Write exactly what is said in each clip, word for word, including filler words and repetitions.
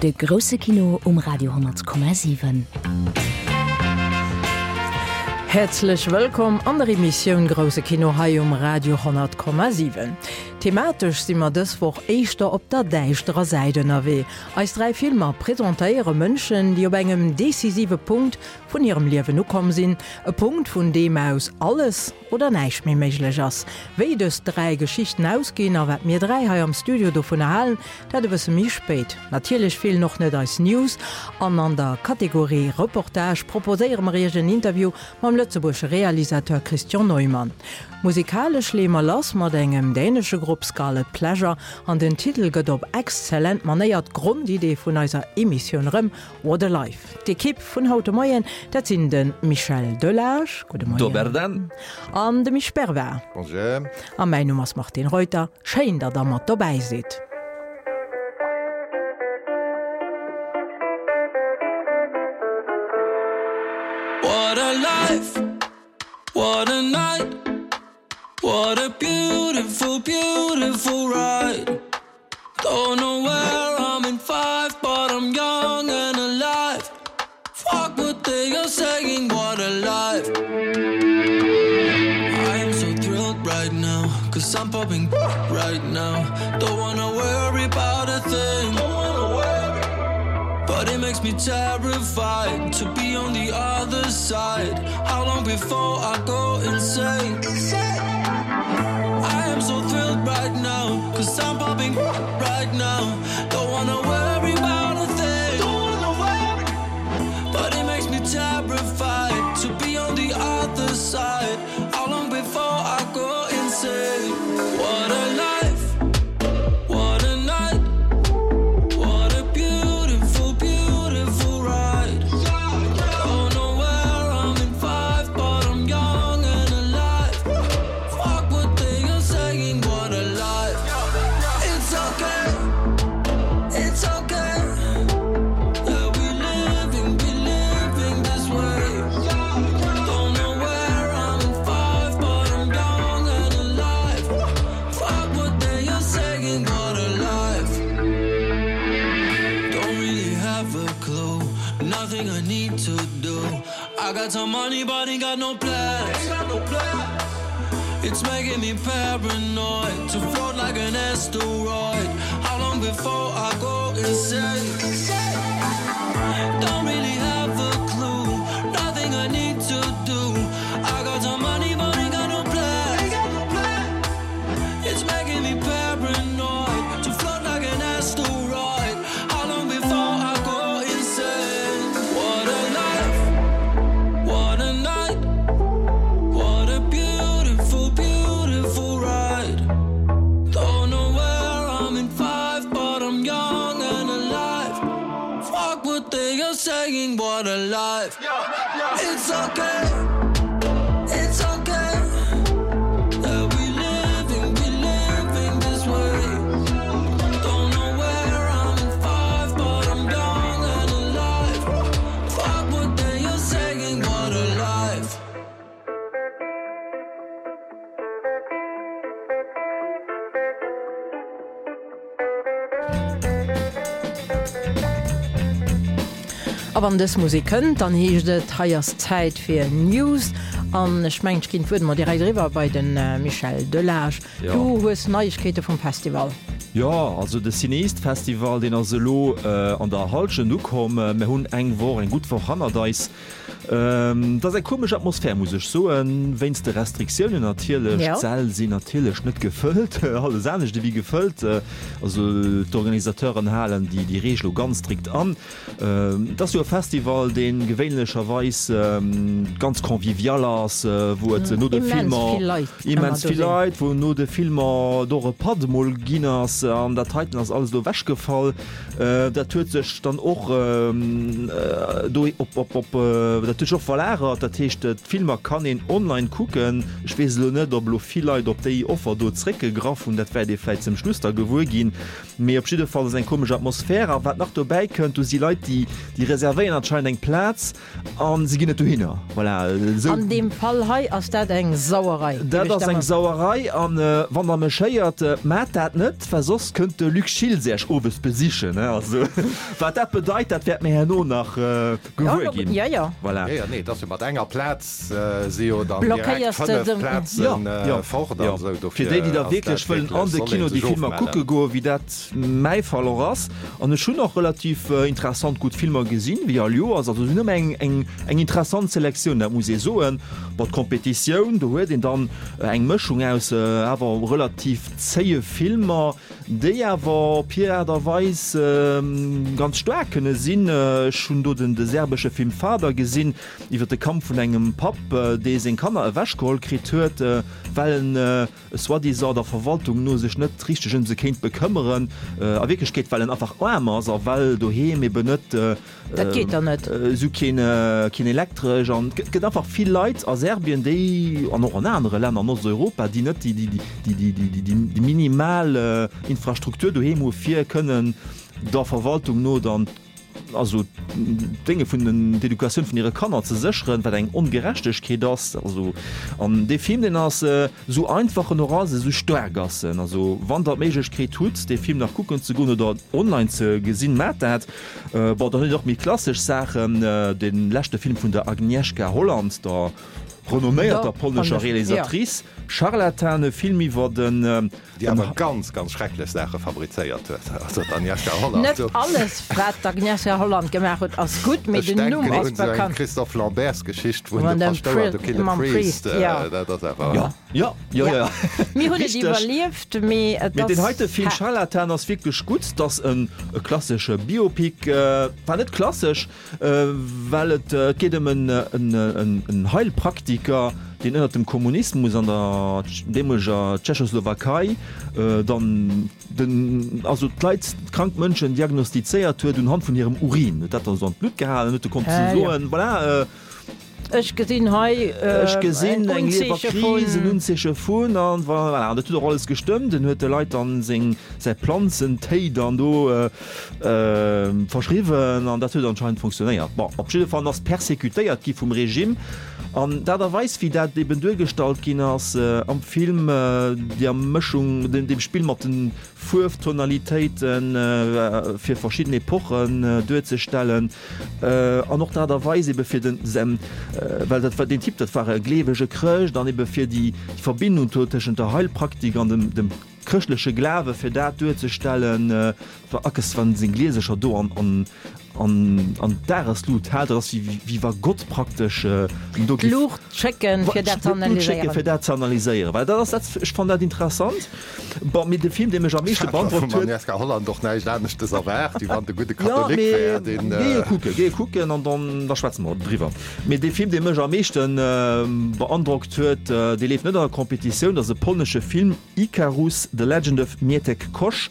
De grousse Kino um Radio honnert Komma siwen. Häerzlech wëllkomm an der Emissioun Grousse Kino hei um Radio honnert Komma siwen. Thematesch si mer dës Woch éischter op der däischterer Säit ënnerwee. Eis dräi Filmer presentéiere Mënschen, déi op engem decisive Punkt vun hirem Liewen ukomm sinn, e Punkt, vun deem aus alles oder näischt méi méiglech ass. Wéi dës dräi Geschichten ausginn a wat mir dräi hei am Studio dovunner halen, dat e bësse méi spéit. Natierlech feelen och net eis News an an der Kategorie Reportage proposéiere mer iech en Interview mam lëtzebuergesche Realisateur Christian Neumann. Musikalesch leeë mer lass mat engem dänesche Grupp Scarlet Pleasure an den Titel gëtt op exzellent Manéier d'Grondidee vun eiser Emissioun erëm, What a Life! D'Ekipp vun haut de Moien, dat sinn de Michel Delage, gudde Moien, Dobar dan. An de Misch Bervard. Bonjour. A mäin Numm ass Martine Reuter. Schéin, datt der mat dobäi sidd. What a life, what a night, what a beautiful, beautiful ride. Don't know where I'm in five, but I'm young and alive. Fuck what they are saying, what a life. I am so thrilled right now, cause I'm popping right now. Don't wanna worry about a thing. But it makes me terrified to be on the other side. How long before I go insane? I am so thrilled right now, cause I'm popping right now. Don't wanna worry about a thing. But it makes me terrified to be on the other side. How long before I go insane? What a life, what a night, what a beautiful, beautiful ride. Don't know where I'm in five, but I'm young and alive. Fuck what they are saying, what a life. It's okay, it's okay. Yeah, we living, we living this way. Don't know where I'm in five, but I'm young and alive. Fuck what they are saying, what a life. Don't really have a clue, nothing I need to do. I got some money, but ain't got no plans. It's making me paranoid to float like an asteroid. How long before I go insane? Don't really have a clue, nothing I need to do. I got some money, but ain't got no plans. It's making me paranoid to float like an asteroid. How long before I go insane? What a life, what a night, what a beautiful, beautiful ride. Don't know where I'm in five, but I'm young and alive. Fuck what they are saying, what a life. It's okay, it's okay. Yeah, we living, we living this way. Don't know where I'm in five, but I'm young and alive. Fuck what they are saying, what a life. A wann dës Musek kënnt, dann heescht et, hei ass Zäit fir News. An ech mengen, ech ginn d'Wuert mol direkt eriwwer bei de Michel Delage. Jo. Du hues Neiegkeete vum Festival. Jo, also de CinEast Festival, deen ass elo an der Hallschent ukomm. Mir hunn eng Woch, eng gutt Woch hannert eis. Et ass eng komesch Atmosphär, muss ech soen, wéinst de Restriktiounen natierlech. Jo. D'Säll sinn natierlech net gefëllt, alles anescht ewéi gefëllt. Also d'Organisateuren halen déi déi Reegel elo ganz strikt an. Et ass jo e Festival, dee gewéinlecherweis ganz convivial ass, wou et no de Immens Filmer vill Leit ëmmer immens do vill sinn. Leit, wou no de Filmer et och e Patt emol ginn ass. An dat heiten ass alles elo ewechgefall. Dat huet sech dann och do op, op, op, dat huet sech och verlagert. Dat heescht, d'Filmer kann een online kucken. Ech weess elo net, ob elo vill Leit op déi Offer do zréckgegraff hunn. Dat wäert ee vläicht zum Schluss da gewuer ginn. Mee op jidde Fall ass eng komesch Atmosphär. A wat nach dobäi kënnt, do si Leit, déi, déi reservéieren anscheinend eng Plaz a si ginn net dohinner. Voilà, esou. An deem Fall hei ass dat eng Sauerei, géif Dat ech ass da eng mal. Sauerei. An wann Der mech héiert, maacht dat net, well soss soss kënnt de Luc Schiltz Iech owes besichen, ne? Also, wat dat bedeit, dat wäerte mir herno nach gewuer ginn. Jo, jo. Voilà. Jo, jo, nee, et ass jo mat enger Plaz si jo dann direkt Blockéiers de fënnef de. Plazen Jo, fort jo. an esou. Fir Dofir déi, déi da ass wierklech dat wëllen wierklech, an de soll ee Kino déi sech Filmer ofmellen. kucke goen, wéi dat mäi Fall och ass, an ech hunn och relativ interessant gutt Filmer gesinn, wéi all Joers, also se hunn ëmmer eng, eng, eng interessant Selektioun, dat muss ee soen. Bon, d'Kompetitioun, do huet een dann eng Mëschung aus awer relativ zéie Filmer, déi awer op hir Aart a Weis ganz staark kënne sinn. Ech hunn do den de serbesche Film Father gesinn, iwwer de Kampf vun engem Papp, dee seng Kanner ewechgeholl kritt huet, well en soi-disant der Verwaltung no sech net richteg ëm se kéint bekëmmeren, a Wierklechkeet well en einfach aarm ass a well doheem eben net Dat geet dann net. esou keen keen Elektresch an et gëtt einfach vill Leit a Serbien, déi, an och an anere Länner an Osteuropa, déi net déi déi déi déi minimal Infrastruktur doheem hu fir kënnen der Verwaltung no dann also d'Dénge vun den d'Educatioun vun hire Kanner ze sécheren, wat eng Ongerechtegkeet ass. Also, an dee Film, deen ass, esou einfach en och ass, esou staark ass en. Also, wann Der d'Méiglechkeet hutt, dee Film nach kucken ze goen oder online ze gesinn, maacht dat. Bon, dann hutt Dir och méi klassesch Saachen, dee leschte Film vun der Agnieszka Holland, der renomméierter polnescher Realisatrice, Scharlatan, e Film iwwer den. Déi awer ganz, ganz schrecklech Saache fabrizéiert huet, also d'Agnieszka Holland. Net alles, wat d'Agnieszka Holland gemaach huet, ass gutt, mee den Numm ass Ech denken un esou eng Christophe Lambert-Geschicht, wou en de Paschtouer do kill a priest, dat ass awer. Jo, jo, jo, jo. Mir hunn et iwwerlieft, mee et ass haart. Mee deen heite Film Scharlatan ass wierklech gutt. 't ass e klassesche Biopic, war net klassesch, well et geet ëm en Heilpraktiker, deen ënnert dem Kommunismus an der deemoleger Tschechoslowakei dann den, also d'Leit, krank Mënschen diagnostizéiert huet unhand vun hirem Urin, huet dat dann esou an d'Blutt gehalen, huet e konnt esou soen, voilà, Ech gesinn hei ech gesinn eng Liewerkris, en Unzeeche vun, an voilà, an dat huet och alles gestëmmt. En huet de Leit dann seng, säi Planzentéi dann do verschriwwen an dat huet anscheinend funktionéiert. Bon, op jidde Fall, en ass persecutéiert gi vum Regime. An d'Aart a Weis, wéi dat eben duergestallt ginn ass am Film, der Mëschung, dem Spill mat de Fuerftonalitéiten, fir verschidden Epochen duerzestellen, an och d'Aart a Weis ebe fir den, well dat war, deen Typ, dat war e gleewege Chrëscht, an ebe fir déi Verbindung do tëschent der Heilpraktik an dem chrëschtleche Glawe, fir dat duerzestellen, war Akes, wann seng Gliesercher do an, an, an, an d'Dageslut hält, dat ass wéi, wéi wa Gott praktesch em do giff. D'Luucht schécken, fir dat ze D'Luucht schécken, analyséieren. fir dat ze analyséieren. Well dat ass dat, ech fannen dat interessant. Bon, mee de Film, dee mech am meeschte Ech hat mer beandrockt vum huet. Agnieszka Holland och näischt aneschtes erwaart, wéi wann de gudde Jo, Katholik mee wär, deen. géi e kucken, géi e kucken an dann, da schwätze mer driwwer. Mee dee Film, dee mech am meeschten beandrockt huet, dee leeft net an der Competitioun, dat ass e polnesche Film, Icarus, The Legend of Mietek Kosz,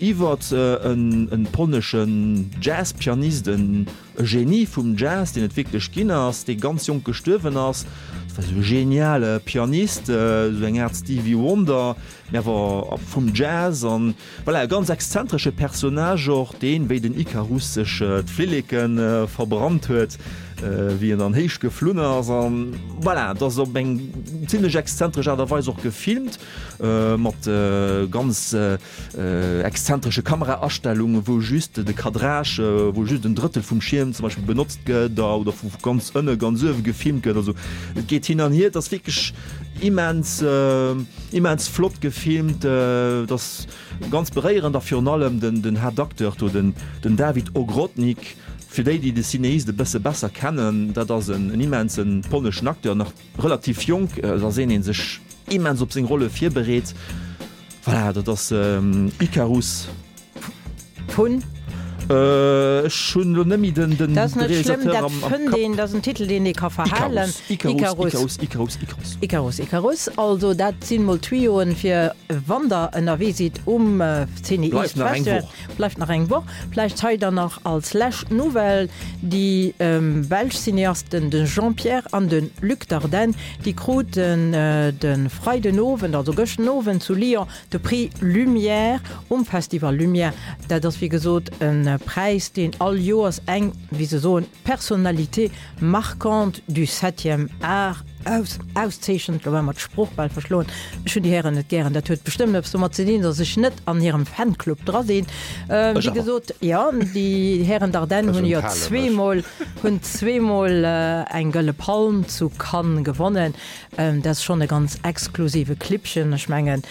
iwwert en polneschen Jazzpianist, e Genie vum Jazz, deen et wierklech ginn ass, dee ganz jonk gestuerwen ass. Dat war esou e geniale Pianist, esou eng Aart Stevie Wonder, mee awer vum Jazz. An voilà, e ganz exzentresche Personnage och, deen, wéi den Icarus, sech d'Flilleke verbrannt huet, wéi en dann héich geflunn ass. An voilà, et ass op eng zimlech exzentresch Aart a Weis och gefilmt, mat ganz exzentresche Kameraastellungen, wou just de Cadrage, wou just en Drëttel vum Schierm zum Beispill benotzt gëtt oder vu ganz ënne ganz uewe gefilmt gëtt. Also et geet hin an hier. Et ass wierklech immens, immens flott gefilmt. Et ass ganz beréierend a virun allem den, den Haaptacteur do, den, den Dawid Ogrodnik, fir déi, déi de Cineast e bësse besser kennen, dat ass en immense polneschen Acteur, nach relativ jonk, da seen ee sech immens op seng Rolle virbereet. Voilà, dat ass Icarus. Vun? Ech hunn elo net méi den Dat ass net schlëmm, Realisateur dat am Kapp. fënnt een, dat ass en Titel, deen ee ka verhalen. Icarus, Icarus, Icarus, Icarus. Icarus, Icarus. Also dat sinn mol Tuyauxen, fir wann der ënnerwee sidd um CinEast Bleift nach eng Festival. Woch. Bleift nach eng Woch. Vläicht hei dann nach als lescht Nouvelle, déi belsch Cineasten, de Jean-Pierre an de Luc Dardenne, déi kruten de Freidenowend, also gëschten Owend zu Lyon, de Prix Lumière um Festival Lumière. Dat ass wéi gesot e Präis, deen all Joers eng, wéi se soen, Personnalité marquante du septième art aus, auszeechent. Lo war mer d'Sprooch bal verschloen. Ech hunn déi Hären net gären. Dat huet bestëmmt eppes domat ze dinn, datt ech net an hirem Fanclub dra sinn. Ähm, wéi gesot, jo, déi Hären Dardenne hunn jo zweemol, hunn zweemol eng Gëlle Palm zu Cannes gewonnen. Ähm, dat ass schonn e ganz exklusive Clibbchen. Ech mengen,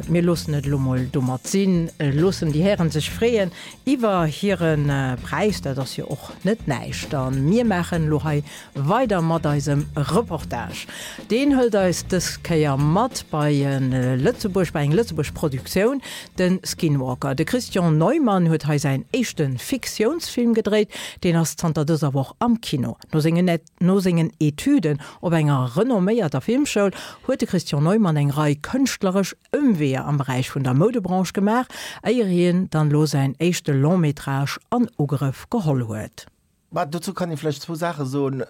mir loossen et elo mol domat sinn, loossen déi Hären sech freeën iwwer hire Präis. Dat ass jo och net näischt. A mir maachen elo hei weider mat eisem Reportage. Deen hëlt eis dës Kéier mat bei e Lëtzebuerg, bei eng Lëtzebuerg Produktioun, de Skinwalker. De Christian Neuman huet hei säin éischte Fiktiounsfilm gedréit. Deen ass zanter dëser Woch am Kino. No sengen No sengen Etüden op enger renomméierter Filmschoul huet de Christian Neuman eng Rei kënschtleresch Ëmweeër am Beräich vun der Moudebranche gemaach, éier hien dann elo säin éischte Long-métrage an Ugrëff geholl huet. Bah, dozou kann ee vläicht zwou Saache soen.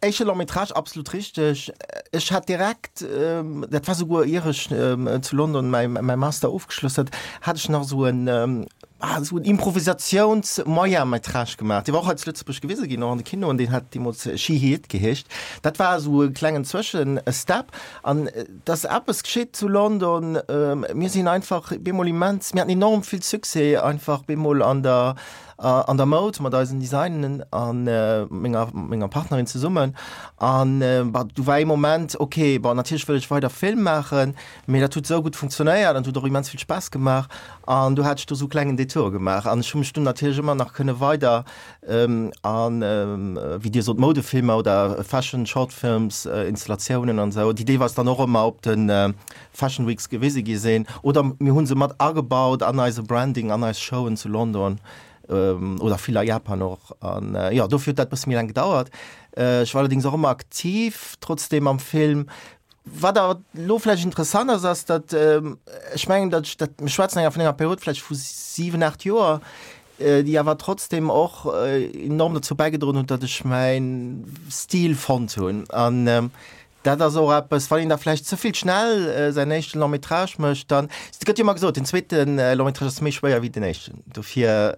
Éischte Long-métrage, absolut richteg. Ech hat direkt, dat war souguer ier ech zu London mäi Master ofgeschloss hat, hat ech nach esou en, ah, esou en Improvisatiouns-Moyen-métrage gemaach. Dee war och hei zu Lëtzebuerg gewise ginn, och an de Kinoen. Deen hat deemools She He It geheescht. Dat war esou e klengen Zwëschestep. An et ass eppes geschitt zu London, mir sinn einfach bemol immens, mir haten enorm vill Succès einfach bemol an der, an der Moud mat eisen Designen a menger, menger Partnerin zesummen. An bah, du war ee Moment, okay, bon, natierlech wëll ech weider Film maachen, mee dat huet esou gutt funktionéiert an et huet och immens vill Spaass gemaach. An du hat ech do sou klengen Detour gemaach an ech hu mech dunn natierlech ëmmer nach kënne weider an, wéi Dir sot, Moudefilmer oder Fashion Short Films, Installatiounen an esou, déi deelweis dann och ëmmer op de Fashion Weeks gewise gi sinn oder mir hu se mat agebaut an eise Branding, an eis Showen zu London oder vill a Japan och. An jo, dofir huet dat e bësse méi laang gedauert. Ech war allerdéngs och ëmmer aktiv trotzdeem am Film. Wat awer elo vläicht interessant ass, ass, datt, ech mengen, datt ech dat, mir schwätzen enger vun enger Period vläicht vu siwen, aacht Joer, déi awer trotzdem och enorm dozou bäigedroen hunn, datt ech mäi Stil fonnt hunn. An dat ass och eppes, wann een da vläicht ze vill schnell säin éischte Long métrage mécht, dann, et gëtt jo ëmmer gesot, den zweete Long métrage ass méi schwéier wéi den éischten. Dofir,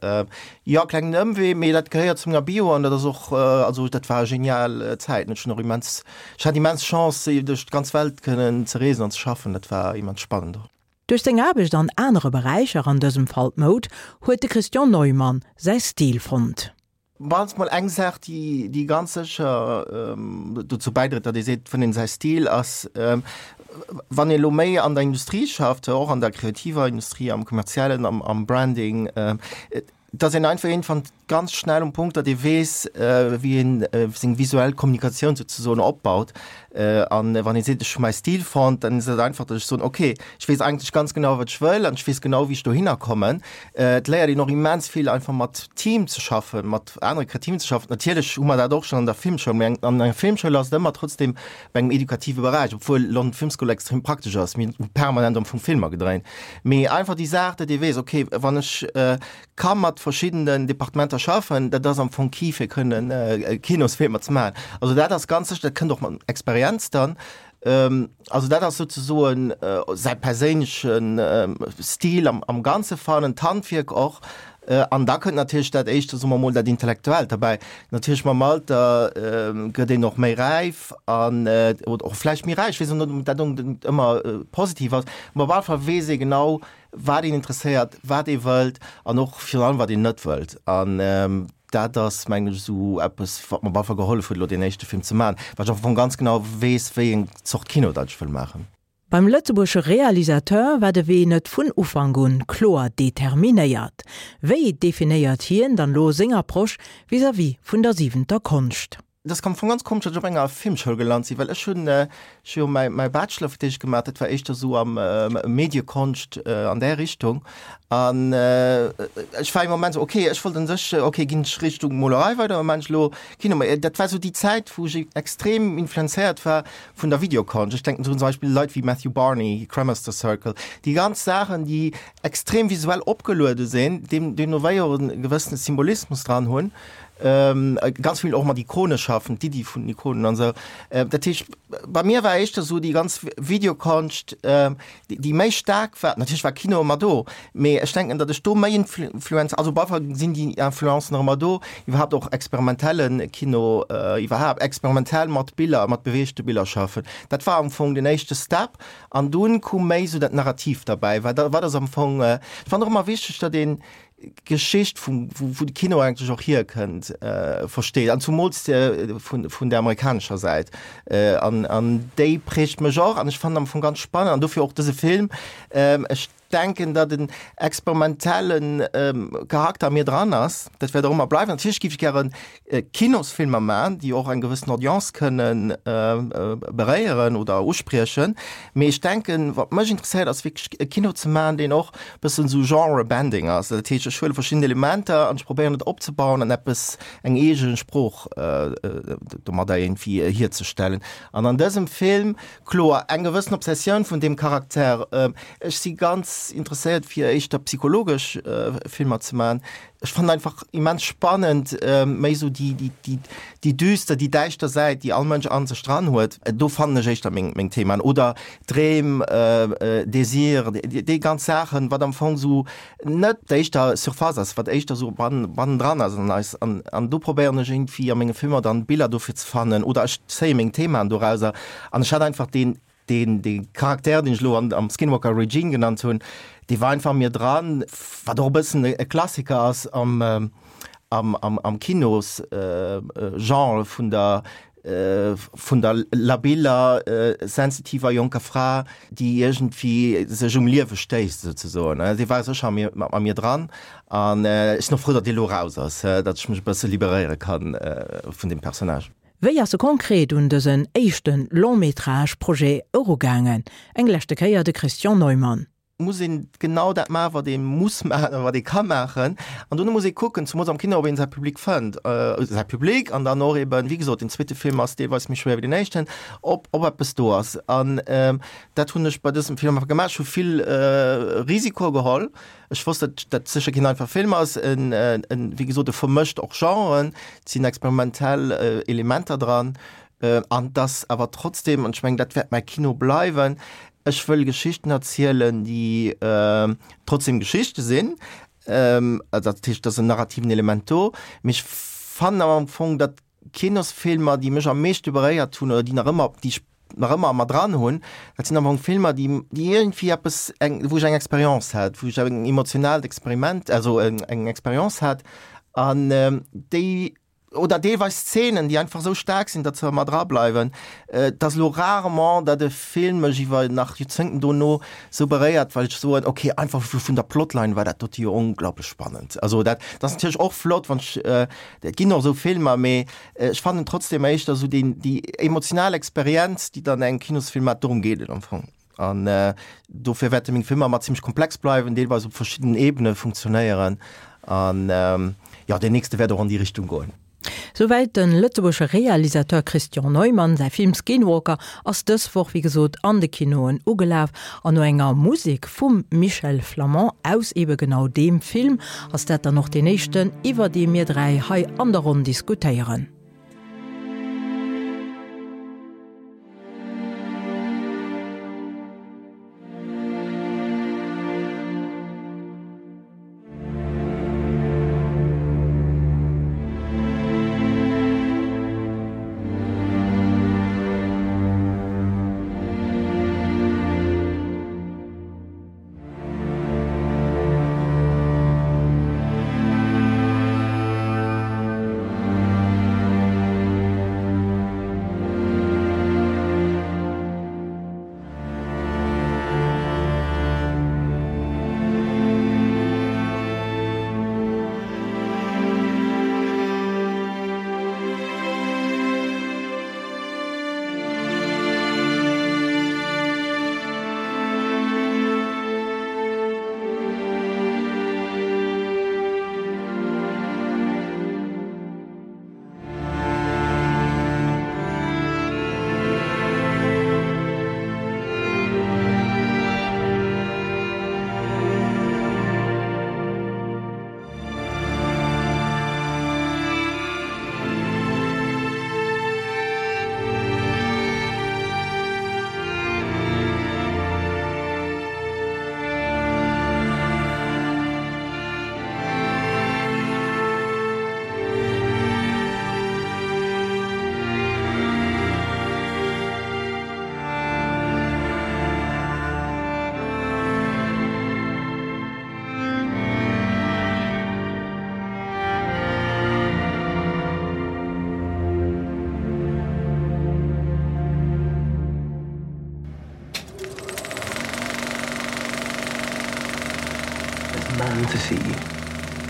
jo, klengen Ëmwee, mee dat gehéiert zu menger Bio an dat ass och, also dat war e genial Zäit. Ech hunn och immens Ech hat immens Chance duerch d'ganz Welt kënnen ze reesen an ze schaffen, dat war immens spannend och. Duerch seng Aarbecht an anere Beräicher, an dësem Fall d'Moud, huet de Christian Neuman säi Stil fonnt. Mannst mol eng Saach, déi déi ganz sécher dozou bäidréit, datt ee seet, et fënnt een säi Stil, ass, wann ee lo méi an der Industrie schafft, och an der kreativer Industrie, am Kommerziellen, am am Branding, dass een einfach iergendwann ganz schnell um Punkt, datt ee weess, wéi een seng visuell Kommunikatioun souzesoen opbaut. An wann ee seet, ech hu mäi Stil fonnt, dann ass et einfach, datt ech soen, okay, ech weess eigentlech ganz genau, wat ech wëll an ech weess genau, wéi ech dohinner kommen. Et léiert een och immens vill einfach mat Team ze schaffen, mat anere Kreativen ze schaffen. Natierlech hu mer dat och schonn an der Filmschoul, mee an enger Filmschoul ass et ëmmer trotzdem bei engem edukative Beräich, obwuel London Film School extrem praktesch ass, mir hu permanent am Fong Filmer gedréint. Mee einfach déi Saach, datt ee weess, okay, wann ech ka mat verschiddenen Departementer schaffen, dat ass am Fong key fir kënnen Kinosfilmer ze maachen. Also dat ass ganz sécher, dat kënnt och mat Experienz dann. Also dat ass souzesoen säi perséinleche Stil am Ganze fannen, d'Handwierk och. An da kënnt natierlech dat éischte, soe mer mol, dat Intellektuellt derbäi. Natierlech mam Alter gëtt een och méi räif an, oder och vläicht méi räich, ech weess net, ob dat onbedéngt ëmmer positiv ass, mä op alle Fall weess ee genau, wat een interesséiert, wat ee wëllt an och virun allem, wat een net wëllt. An dat ass, mengen ech, esou eppes, wat mer op alle Fall gehollef huet, elo deen éischte Film ze maachen, well ech am Fong ganz genau weess, wéi eng Zort Kino dat ech wëll maachen. Beim lëtzebuergesche Realisateur war de Wee net vun Ufank un kloer determinéiert. Wéi definéiert hien dann elo seng Approche vis-à-vis vun der siwenter Konscht? Et ass am Fong ganz komesch, datt ech op enger Filmschoul gelant sinn, well ech hunn, ech hu jo mäi, mäi Bachelor fir d'éischt gemaach, dat war éischter esou am Mediekonscht, an där Richtung. An ech war ee Moment esou, okay, ech wollt un sech, okay, ginn ech Richtung Molerei weider oder maachen ech elo Kino? Mä dat war esou déi Zäit, wou ech extrem influenzéiert war vun der Videokonscht. Ech denken zum Beispill Leit wéi Matthew Barney, Cremaster Circle, déi ganz Saachen, déi extrem visuell opgeluede sinn, deem, deemno wéi och e gewëssene Symbolismus dran hunn. Ganz vill och mat Ikone schaffen, d'Iddi vun den Ikonen an esou. Dat heescht, bei mir war éischter esou déi ganz Videokonscht, déi méi staark war. Natierlech war Kino ëmmer do, mee ech denken, datt ech do méi Influenz, also op alle Fall sinn déi Influencen nach ëmmer do, iwwerhaapt och experimentelle Kino, iwwerhaapt experimentell mat Biller, mat beweegte Biller schaffen. Dat war am Fong den éischte Step an dunn koum méi esou dat Narrativ derbäi, wat wat ass am Fong, ech fannen och ëmmer wichteg, datt een d'Geschicht vum, wou de Kino eigentlech och hierkënnt, versteet, an zumools vun, vun der amerikanescher Säit. An, an déi prägt mech och an ech fannen am Fong ganz spannend an dofir och dëse Film. Ech denken, datt en experimentelle Charakter a mir dran ass. Dat wäert och ëmmer bleiwen. Natierlech géif ech gären Kinosfilmer maachen, déi och eng gewëssen Audience kënnen beréieren oder uspriechen. Mee ech denken, wat mech interesséiert, ass wierklech e Kino ze maachen, deen och e bëssen esou Genre-bending ass. Dat heescht, ech huele verschidden Elementer an ech probéieren et opzebauen an eppes, eng eege Sprooch domadder iergendwéi hierzestellen. An an dësem Film, kloer, eng gewëssen Obsessioun vun deem Charakter. Ech si ganz interesséiert fir éischter psychologesch Filmer ze maachen. Ech fannen einfach immens spannend méi esou déi déi déi déi düster, déi däischter Säit, déi all Mënsch an sech dran huet. Do fannen ech éischter meng meng Themaen. Oder Dreem, Désir, déi déi ganz Saachen, wat am Fong esou net d'éischter Surface ass, wat éischter esou ban bannendran ass an eis. An an do probéieren ech iergendwéi a menge Filmer dann Biller dofir ze fannen oder ech zéie meng Themaen dorauser. An ech hat einfach deen Deen, dee Charakter, deen ech elo an, am Skinwalker Regine genannt hunn, dee war einfach a mir dran, wat och e bëssen e Klassiker ass am, am, am, am Kinos-Genre vun der, vun der labiller, sensitiver jonker Fra, déi iergendwéi sech um Liewe stéisst, souzesoen. Dee war sécher a mir, a mir dran an ech sinn och frou, datt dee elo eraus ass, datt ech mech e bësse liberéiere kann vun deem Personnage. Wéi ass e konkret un dësen éischte Long-métrage-Projet erugaangen? Eng leschte Kéier de Christian Neumann. Muss een genau dat maachen, wat ee muss maachen oder wat ee ka maachen. An dono muss ee kucken, zemools am Kino, ob een säi Public fënnt, säi Public an dann och eben, wéi gesot, den zweete Film ass deelweis méi schwéier wéi den éischten, ob, ob eppes do ass. An dat hunn ech bei dësem Film einfach gemaach. Ech hu vill Risikoe geholl. Ech wosst, datt dat sécher keen einfache Film ass. En, en, wéi gesot, e vermëscht och Genren, et sinn experimentell Elementer dran. An dass awer trotzdem, an ech mengen, dat wäert mäi Kino bleiwen, ech wëll Geschichten erzielen, déi trotzdem Geschichte sinn. Dat heescht, et ass en narrativen Element do. Mee ech fannen awer am Fong, datt Kinosfilmer, déi mech am meeschte beréiert hunn oder déi nach ëmmer, déi ech nach ëmmer a mer dran hunn, dat sinn am Fong Filmer, déi, déi iergendwéi eppes, eng, wou ech eng Expérience hat, wou ech eng emotionaalt Experiment, also eng Expérience hat an déi, oder deelweis Szenen, déi einfach esou staark sinn, datt se ëmmer dra bleiwen. Et ass elo rarement, datt e Film mech iwwer nach Joerzéngten dono esou beréiert, well ech soen, okay, einfach vun der Plotline war dat dote jo onglaublich spannend. Also dat ass natierlech och flott, wann ech, et ginn och esou Filmer, mee ech fannen trotzdem éischter esou déi, déi emotional Experienz, déi dann engem Kinosfilm hat, dorëm geet et am Fong. An dofir wäerte meng Filmer ëmmer zimmlech komplex bleiwen, deelweis op verschiddenen Ebene funktionéieren. An jo, deen nächste wäert och an déi Richtung goen. Souwäit de lëtzebuergesche Realisateur Christian Neumann. Säi Film Skinwalker ass dës Woch wéi gesot an de Kinoen ugelaf. An no enger Musek vum Michel Flamand aus ebe genau deem Film ass dat dann och deen éischten, iwwer dee mir dräi hei an der Ronn diskutéieren. man to see you.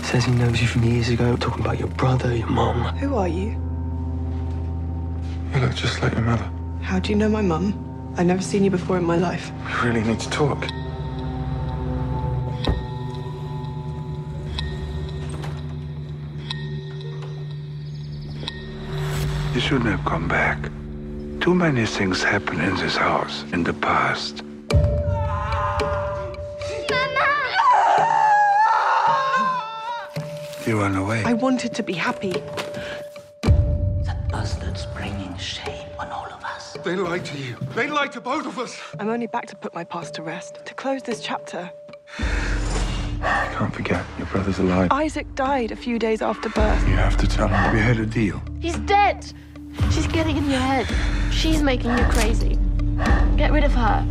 Says he knows you from years ago, talking about your brother, your mom. Who are you? You look just like your mother. How do you know my mum? I've never seen you before in my life. We really need to talk. You shouldn't have come back. Too many things happened in this house in the past. You run away. I wanted to be happy. That bastard's bringing shame on all of us. They lied to you. They lied to both of us. I'm only back to put my past to rest, to close this chapter. You can't forget your brother's alive. Isaac died a few days after birth. You have to tell him we had a deal. He's dead. She's getting in your head. She's making you crazy. Get rid of her.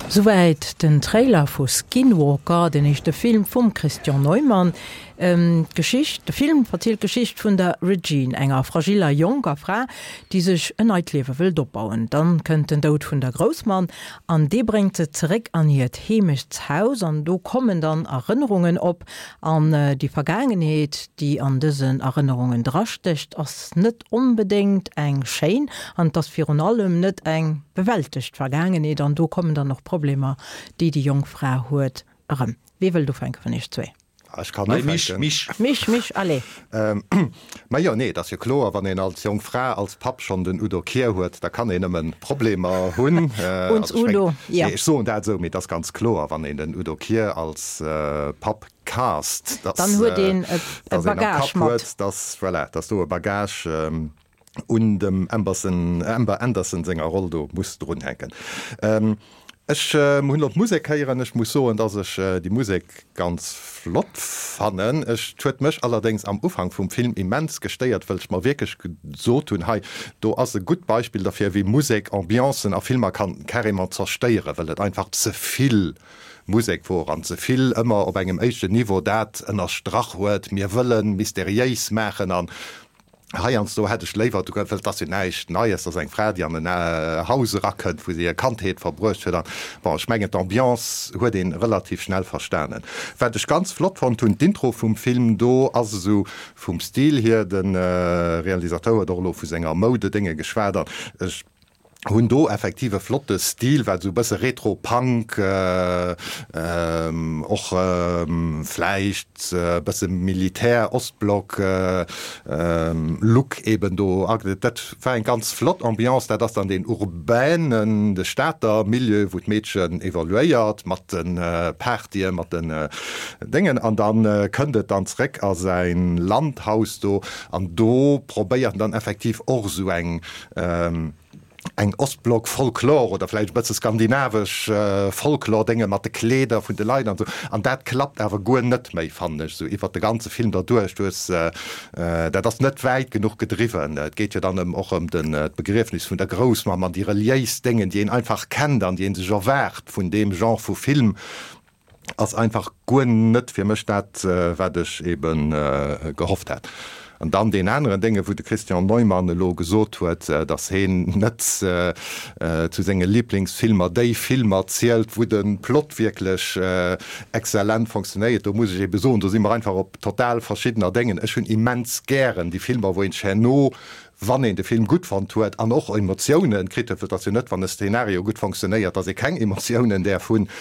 Souwäit den Trailer vu Skinwalker, den éischte Film vum Christian Neumann. D'Geschicht, de Film verzielt d'Geschicht vun der Regine, enger fragiller jonker Fra, déi sech en neit Liewe wëllt opbauen. Dann kënnt den Doud vun der Groussmamm an dee bréngt se zeréck an hiert Heemechtshaus an do kommen dann Erënnerungen op an déi Vergaangenheet, déi an dësen Erënnerungen drastécht, ass net onbedéngt eng schéin an et ass virun allem net eng bewältegt Vergaangenheet an do kommen dann och Problemer, déi déi jonk Fra huet, erëm. Wie wëllt ufänke vun iech zwee? Ech kann ufänken. Mich, mich. Mich, mich, allez. Majo, nee, et ass jo kloer, wann een als jonk Fra als Papp schonn den Udo Kier huet, da kann een nëmmen Problemer hunn. Uns Udo, ja. Nee, ech soen dat esou, mee et ass ganz kloer, wann een den Udo Kier als Papp cast, dass, Dann huet een e dass een am Bagage Kapp mat. huet, dass, voilà, dass do e Bagage un dem Amberson, Amber Anderson senger Roll do muss drunhänken. Ech hunn elo d'Musek héieren. Ech muss soen, dass ech déi Musek ganz flott fannen. Ech, huet mech allerdéngs am Ufank vum Film immens gestéiert, wëll ech mer wierklech gesot hunn, hei do ass e gutt Beispill derfir, wéi Musek Ambiancen a Filmer kann carrément zerstéieren, wëll et einfach ze vill Musek wor an ze vill ëmmer op engem éischten Niveau dat ënnerstrach huet, mir wëllen mysteriéis maachen an Heiansdo hätt ech léiwer, du wëll et ass jo näischt Neies, dass eng Fra, déi an en Haus erakënnt, wou se hir Kandheet verbruecht huet an, bon, ech mengen d'Ambiance huet een relativ schnell verstanen. Wat ech ganz flott fonnt hunn, d'Intro vum Film, do ass esou vum Stil hier, de Realisateur huet och elo vu senger Moudedénge geschwat an ech hunn do effektiv e flotte Stil, wat esou e bësse Retro-Punk, och vläicht e bësse Militär-Ostblock Look eben do agëtt. Dat war eng ganz flott Ambiance. Dat ass dann deen urbanen, de Stater Milieu, wou d'Meedchen evoluéiert mat de Partyen, mat den Déngen. An da kënnt et dann zréck a säin Landhaus do an do probéiert en dann effektiv och esou eng, eng Ostblock-Folklor oder vläicht e bësse skandinavesch Folklor-Dénge mat de Kleeder vun de Leit an esou. An dat klappt awer guer net méi, fannen ech, esou iwwert de ganze Film derduerch. Du hues, dat ass net wäit genuch gedriwwen. Et geet jo dann ëm och ëm den, d'Begriefnis vun der Groussmamm an déi reliéis Déngen, déi een einfach kennt an déi ee sech erwaart vun deem Genre vu Film. Ass einfach guer net fir mech dat, wat ech ebe gehofft hat. An dann deen aneren Dénge, wou de Christian Neumann elo gesot huet, datt heen net zu senge Liblingsfilmer déi Filmer zielt, wou de Plot wierklech exzellent fonctionnéiert. Do muss ech ebe soen, do si mer einfach op total verschiddener Déngen. Ech hunn immens gären déi Filmer, wou een sech herno, wann een de Film gutt fonnt huet an och Emotiounen kritt huet, well et ass jo net, wann e Szenario gutt fonctionnéiert, datt ee keng Emotiounen däerf hunn,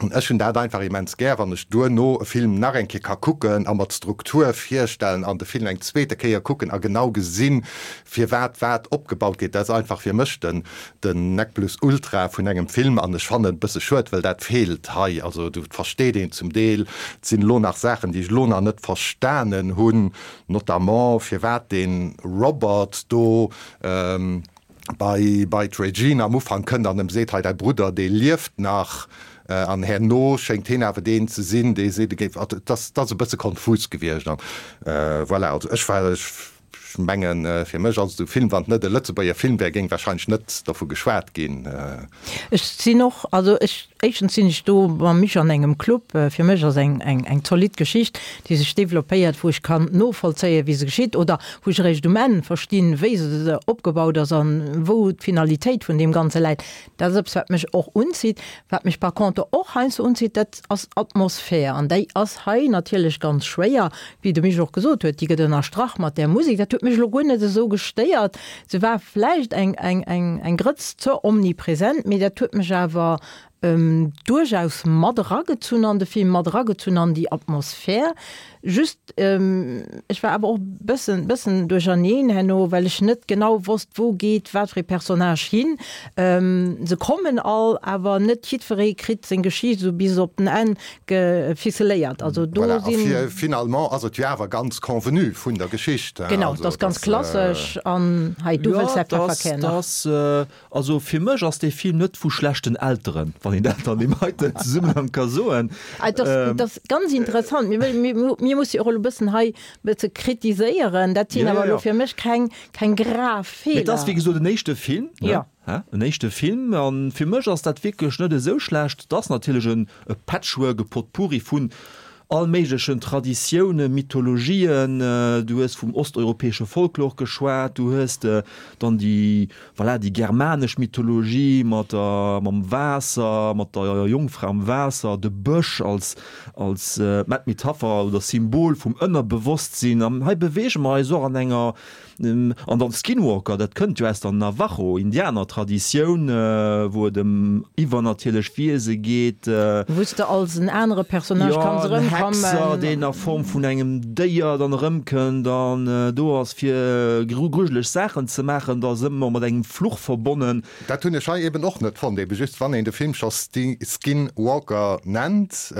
An ech hunn dat einfach immens gär, wann ech duerno e Film nach eng Kéier ka kucken a mer d'Struktur virstellen an de Film eng zweete Kéier kucken a genau gesinn, firwat wat opgebaut gétt. Dat ass einfach fir mech den den Nec plus ultra vun engem Film an ech fannen et e bësse schued, well dat feelt hei. Also do versteet een zum Deel, et sinn elo nach Saachen, déi ech elo nach net verstanen hunn, notamment firwat dee Robert do bei bei d'Regina am Ufank kënnt an em seet, hei däi Brudder, dee lieft nach. An herno schéngt heen awer deen ze sinn, dee seet, e géif, also et ass, et ass e bësse konfus gewiescht an voilà. Also ech war, ech Ech mengen, fir mech ass et e Film, wann et net e Lëtzebuerger Film wär, géing warscheinlech net dovu geschwat ginn. Ech sinn och, also ech, éischtens sinn ech do mam Misch an engem Club. Fir mech ass eng, eng, eng zolidd Geschicht, déi sech developpéiert, wou ech kann novollzéien, wéi se geschitt, oder wou ech eréischt um Enn verstinn, wéi se opgebaut ass an wou d'Finalitéit vun deem Ganze läit. Dat ass eppes, wat mech och unzitt. Wat mech par contre och heiansdo unzitt, dat ass Atmosphär. An déi ass hei natierlech ganz schwéier, wéi de Misch och gesot huet, déi gëtt ënnerstrach mat där Musek. Dat huet mech elo guer net esou gestéiert. Se war vläicht eng, eng, eng, eng Grëtz ze omnipresent, mee dat huet mech awer duerchaus mat eragezunn an de Film, mat eragezunn an déi Atmosphär. Just, ech war awer och bëssen, bëssen duercherneen herno, well ech net genau wosst, wou geet wat fir ee Personnage hin. Se kommen all, awer net jiddweree kritt seng Geschicht esou bis op den Enn geficeléiert. Also do Voilà, a sinn. fir finalement ass et jo awer ganz convenu vun der Geschicht, hein. Genau, et Also ass ganz dass. klassesch an hei, du Jo, wëlls säi et ass, Pefferkär et nach. ass, also fir mech ass dee Film net vu schlechten Elteren, wann een dat an deem heiten Zesummenhang ka soen. Et ass, et ass ganz interessant. Mir wëll, mir, mir musse jo och elo e bëssen hei e bësse kritiséieren. Dat sinn Ja, awer ja, elo ja. fir mech keng, keng grav Mee et ass, Feeler. wéi gesot, en éischte Film, ne? Ja. Hä? En éischte Film. A fir mech ass dat wierklech net esou schlecht. Et ass natierlech en, e Patchwork, e Potpourri vun all méiglechen Traditiounen, Mythologien. Du hues vum osteuropäesche Folklor geschwat, du hues dann déi, voilà, déi germanesch Mythologie mat der, mam Waasser, mat der Jongfra am Waasser, de Bësch als, als Metapher oder Symbol vum Ënnerbewosstsinn. An hei beweege mer eis och an enger, An dann Skinwalker, dat kënnt jo aus der Navajo-Indianer-Traditioun, wou et ëm iwwernatierlech Wiese geet. Wou s de als en anere Personnage kanns Jo, en erëmkommen. Hexer, deen a Form vun engem Déier dann erëmkënnt an do ass, fir grujeleg Saachen ze maachen. Dat ass ëmmer mat engem Fluch verbonnen. Dat hunn ech hei eben och net fonnt, ebe just wann een de Film scho Skinwalker nennt.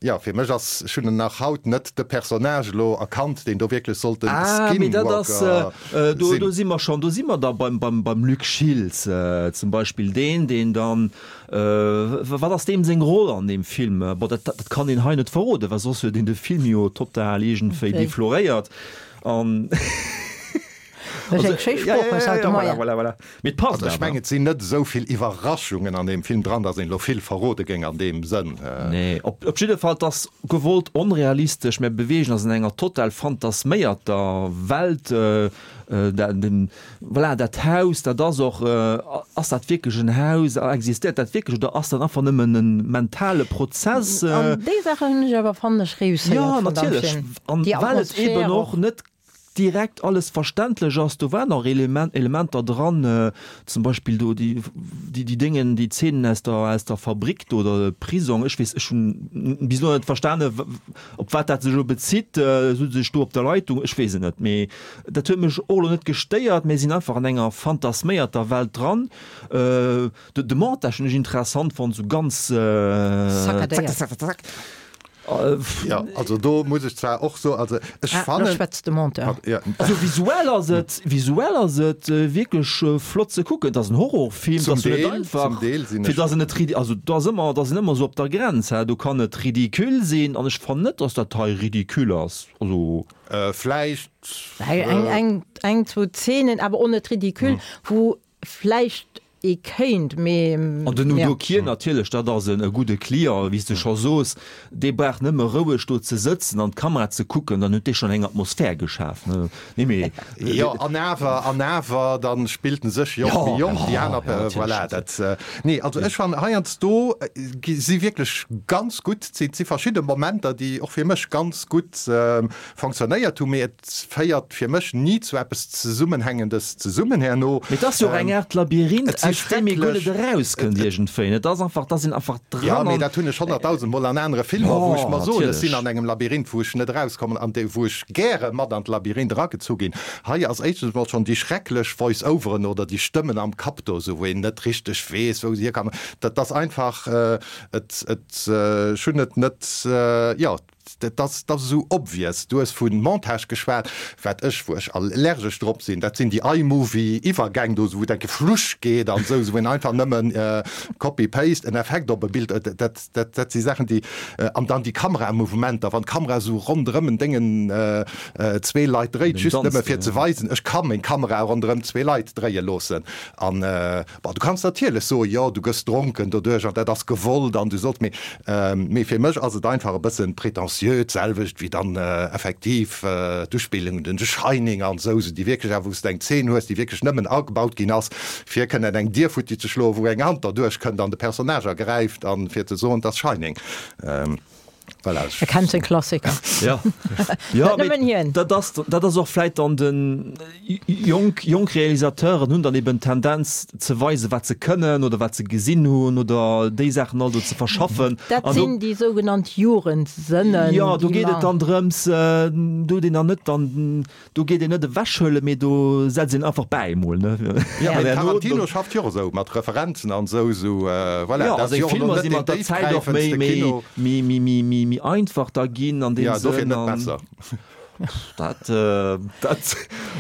Jo, fir mech ass, ech hunn nach haut net de Personnage elo erkannt, deen do wierklech sollt den Ah, mee dat ass, Skinwalker do, sinn. do si mer schonn, do si mer da beim, beim, beim Luc Schiltz zum Beispill, deen, deen dann, wat ass deem seng Roll an deem Film? Bon, dat, dat kann een hei net verroden, well soss huet een de Film jo total iergendwéi defloréiert an. Dat ass eng schéi Sprooch aus haut de Moien. Voilà, voilà, voilà. Mee et passt Also ech awer. mengen, et sinn net esou vill Iwwerraschungen an deem Film dran, datt een elo vill verrode géing an deem Sënn. Nee, op, op jidde Fall, et ass gewollt onrealistesch. Mir beweegen eis an enger total fantasméierter Welt. Dat, den, voilà, dat Haus, dat ass och, ass dat wierklech en Haus? Existéiert dat wierklech oder ass dat einfach nëmmen e mentale Prozess? An déi Saachen hunn ech awer, fannen ech, reusséiert Jo, vun deem natierlech. Film. An Déi well et Atmosphär eben och och. net direkt alles verständlech ass. Do waren och Element, Elementer dran, zum Beispill do déi, déi, déi Déngen, déi Zeenen aus der, aus der Fabrik do oder Prisong, ech weess, ech hunn bis elo net verstane op wat dat sech elo bezitt, sou sech do op der Leitung, ech weess et net, mee dat huet mech och elo net gestéiert. Mir sinn einfach an enger fantasméierter Welt dran. De, de Montage hunn ech interessant fonnt, sou ganz Saccadéiert. zack, zack, zack, zack. Ja, also do muss ech zwar och soen, also ech Ah, fannen. lo schwätzt de Monteur. Ja. Also visuell ass et, visuell ass et wierklech flott ze kucken. Et ass en Horrorfilm, Zum et ass jo net Deel, einfach, zum Deel sinn fir ech. dass en net ridi-, also do ass ëmmer, da sinn ëmmer esou op der Grenz, hä, do kann et ridicule sinn an ech fannen net, dass dat hei ridicule ass, also. Vläicht. Eng, eng, eng, zwou Zeenen, awer och net ridicule, wou vläicht ee kéint, mee. An den Udo Kier natierlech, dat ass e gudde Client, wéi s de scho sos, dee brauch nëmme roueg do ze sëtzen an d'Kamera ze kucken, dann huet dee schonn eng Atmosphär geschaf, ne? Nee, mee. Jo, an awer, an awer, da spillt en sech jo och méi jonk, déi aner, voilà, dat, nee, also ech fannen heiansdo gi si wierklech ganz gutt, et si verschidde Momenter, déi och fir mech ganz gutt fonctionnéiert hunn, mee et féiert fir mech ni zu eppes Zesummenhängendes zesummen herno. Mee et ass jo och eng Aart Labyrinth, aus deem ee guer net erauskënnt iergendwéi. Et ass einfach, da sinn einfach dran. Jo, mee dat hunn ech honnertdausend Mol an anere Filmer, wou ech mer soen, ech sinn natierlech. an engem Labyrinth, wou ech net erauskommen an dee wou ech gäre mat an d'Labyrinth eragezu ginn. Hei ass éischtens mol schonn déi schrecklech Voice-overen oder déi Stëmmen am Kapp do, esou wou een net richteg weess, wou se hierkamen. Dat ass einfach, et, et, ech hunn et net, jo. dat ass dat ass esou obvious. Du hues vu Montage geschwat, wat ech, wou ech allergesch drop sinn, dat sinn déi iMovie-Iwwergäng do, wou et enke flusch geet an esou, wou een einfach nëmmen copy-paste en Effekt op e Bild, dat, dat, dat si Saachen, déi, an dann déi Kameramouvementer, wann d'Kamera esou ronderëm en Déngen zwee Leit dréit, just nëmme fir ze weisen, ech ka meng Kamera ronderëm zwee Leit dréie loossen. An, bon, du kanns natierlech soen, jo, du gëss dronken doduerch an dat ass gewollt an du solls, mee, mee fir mech ass et einfach e bëssen prétentieux, d'selwecht wéi dann effektiv d'Uspillung un den The Shining an esou, esou déi wierklech awer, wou s de eng Zeen hues, déi wierklech nëmmen agebaut ginn ass, fir kënnen eng Dier futti ze schloen, wou eng Hand derduerch kënnt an de Personnage ergräift an fir ze soen, et ass Shining. Voilà. E kennt seng Klassiker. Ja. Ja, Net nëmmen hien. Dat ass, dat ass och vläit dann den, jonk, jonk Realisateuren hunn dann eben d'Tendenz ze weisen, wat se kënnen oder wat se gesinn hunn oder déi Saachen all do ze verschaffen. Dat An do, sinn déi sougenannt Jugendsënnen, jo, do déi geet et mer. dann drëms, do huet een dann net dann, Do geet een net ewechhuelen, mee do setzt een einfach bäi emol, ne? Jo, mee Tarantino schafft jo och esou mat Referenzen an esou, esou, voilà, Jo, dat a ass seng jo och elo Filmer net si deen mat der Zäit och méi, déifgräifendste méi, Kino. méi, méi, méi, méi, méi einfach da ginn an deem Jo, dofir Sënn net an. besser. Dat, dat,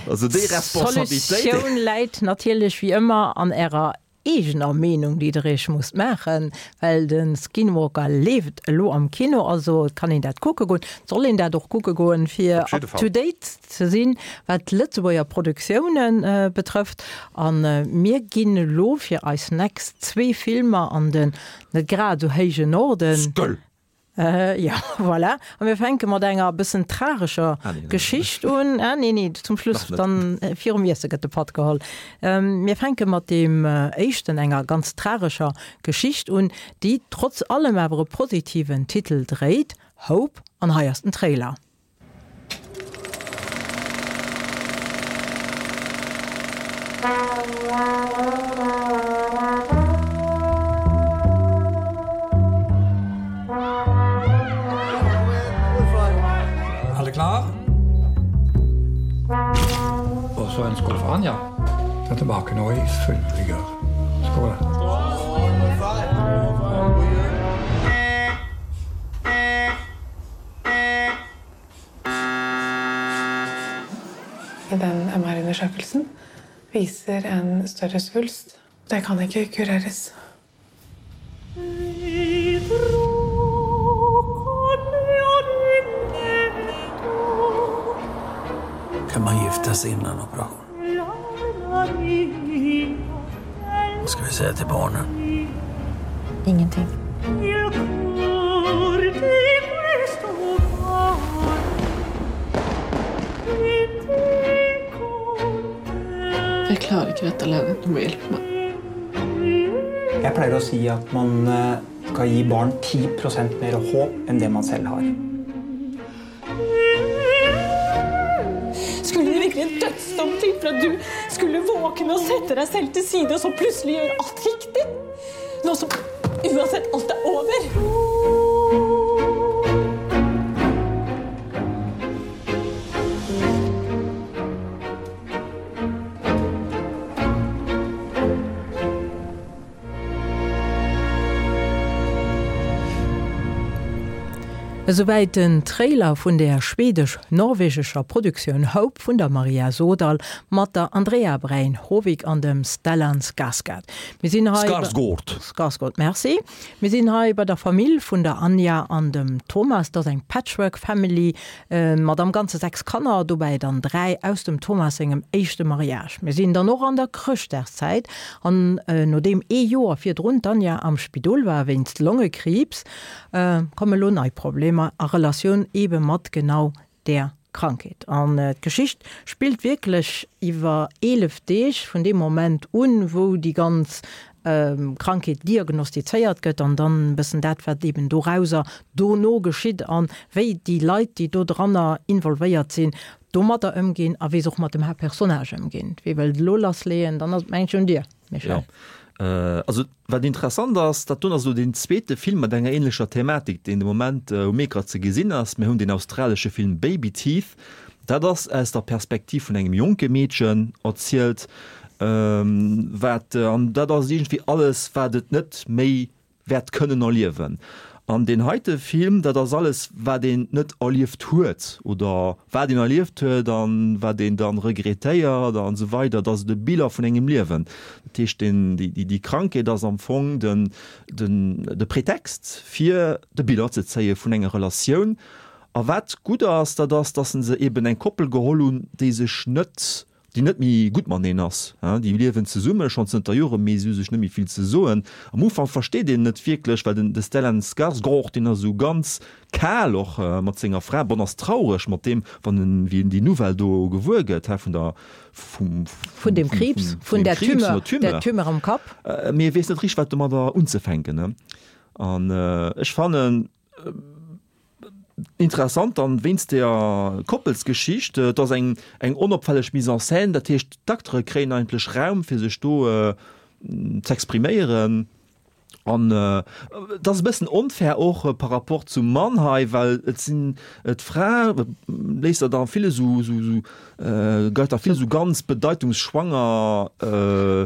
also déi Responsabilitéit. D'Solutioun läit natierlech wéi ëmmer an Ärer eegener Meenung, déi Der Iech musst maachen, well de Skinwalker leeft elo am Kino, also et kann een dat kucke goen, et soll een dat och kucke goen, fir Op jidde up Fall. to date ze sinn, wat d'Lëtzebuerger Produktioune betrëfft. A mir ginn elo fir eis next zwee Filmer an den net grad esou héije Norden. Sköll! Jo, voilà. A mir fänke mat enger bëssen tragescher Ah, nee, nee. Geschicht un. Ah, nee, nee, zum Schluss, Nach net. dann virum Iesse gëtt de Patt geholl. Mir fänke mat deem éischten, enger ganz tragescher Geschicht un, déi trotz allem awer e positiven Titel dréit, Hope. An hei ass den Trailer. Alle klar? Og så en skål for Anja. Den er tilbake nå i full vigør. Skål. I den M R-undersøkelsen viser en større svulst. Det kan ikke kureres. Kan man gifta sig innan operation? Vad ska vi säga till barnen? Ingenting. Jeg klarer ikke dette alene. Du må hjelpe meg. Jeg pleier å si at man skal gi barn ti prosent mer håp enn det man selv har. Skulle det virkelig en dødsdom til for at du skulle våkne og sette deg selv til side, og så plutselig gjøre alt riktig? Nå som uansett alt er over. Esouwäit den Trailer vun der schwedesch-norwegescher Produktioun Hope vun der Maria Sodal mat der Andrea Brein Hovig an dem Stellan Skarsgård. Mir sinn hei Skarsgård. Skarsgård, merci. Mir sinn hei bei der Famill vun der Anja an dem Thomas, dat ass eng Patchwork Family mat am Ganze sechs Kanner, dobäi dann dräi aus dem Thomas sengem éischte Mariage. Mir sinn dann och an der Chrëschtdagszäit an nodeem ee Joer virdrun d'Anja am Spidol war wéinst Longekriibs, komme lo nei Problemer a Relatioun ebe mat genau där Krankheet. An d'Geschicht spillt wierklech iwwer eelef Deeg vun deem Moment un, wou déi ganz Krankheet diagnostizéiert gëtt an dann e bëssen dat, wat eben dorauser dono geschitt an wéi déi Leit, déi dodranner involvéiert sinn, domadder ëmginn a wéi se och mat dem Haaptpersonnage ëmginn. Wie wëllt elo lassleeën? Dann ass et mengen ech un dir, Michel. Jo. Also wat interessant ass, dat doen ass elo deen zweete Film mat enger ähnlecher Thematik, deen de Moment um Ecran ze gesinn ass. Mir hunn deen australesche Film Baby Teeth. Dat ass aus der Perspektiv vun engem jonke Meedchen erzielt, wat, an dat ass iergendwéi alles, wat et net méi wäert kënnen erliewen. An deen heite Film, dat ass alles, wat een net erlieft huet oder wat een erlieft huet an wat een dann regrettéiert an esou weider. Dat ass de Bilan vun engem Liewen. Dat heescht, deen, déi, déi Krankheet ass am Fong den, den, de Pretext, fir de Bilan ze zéie vun enger Relatioun. A wat gutt ass, dat ass, dass se eben eng Koppel geholl hunn, déi sech net, déi net méi gutt mateneen ass. Déi liewen zesumme schonn zënter Joren, mee si hu sech net méi vill ze soen. Am Ufank versteet een net wierklech, well den de Stellan Skarsgård, deen ass esou ganz kal och mat senger Fra, bon, ass traureg mat deem, wann en, wéi en déi Nouvelle do gewuer gëtt, hä, vun der, vum, Vun dem Kriibs, vun der Tumeur, der Tumeur am Kapp. Mee e weess net richteg, wat domadder unzefänken, ne. An ech fannen interessant dann wéinst der Koppelsgeschicht, et ass eng eng onopfälleg Mise en scène, dat heescht d'Acteure kréien eigentlech Raum fir sech do z'expriméieren an et ass e bëssen onfair och par rapport zum Mann hei, well et sinn d'Fra léisst der da vill esou esou geit da vill esou ganz bedeitungsschwanger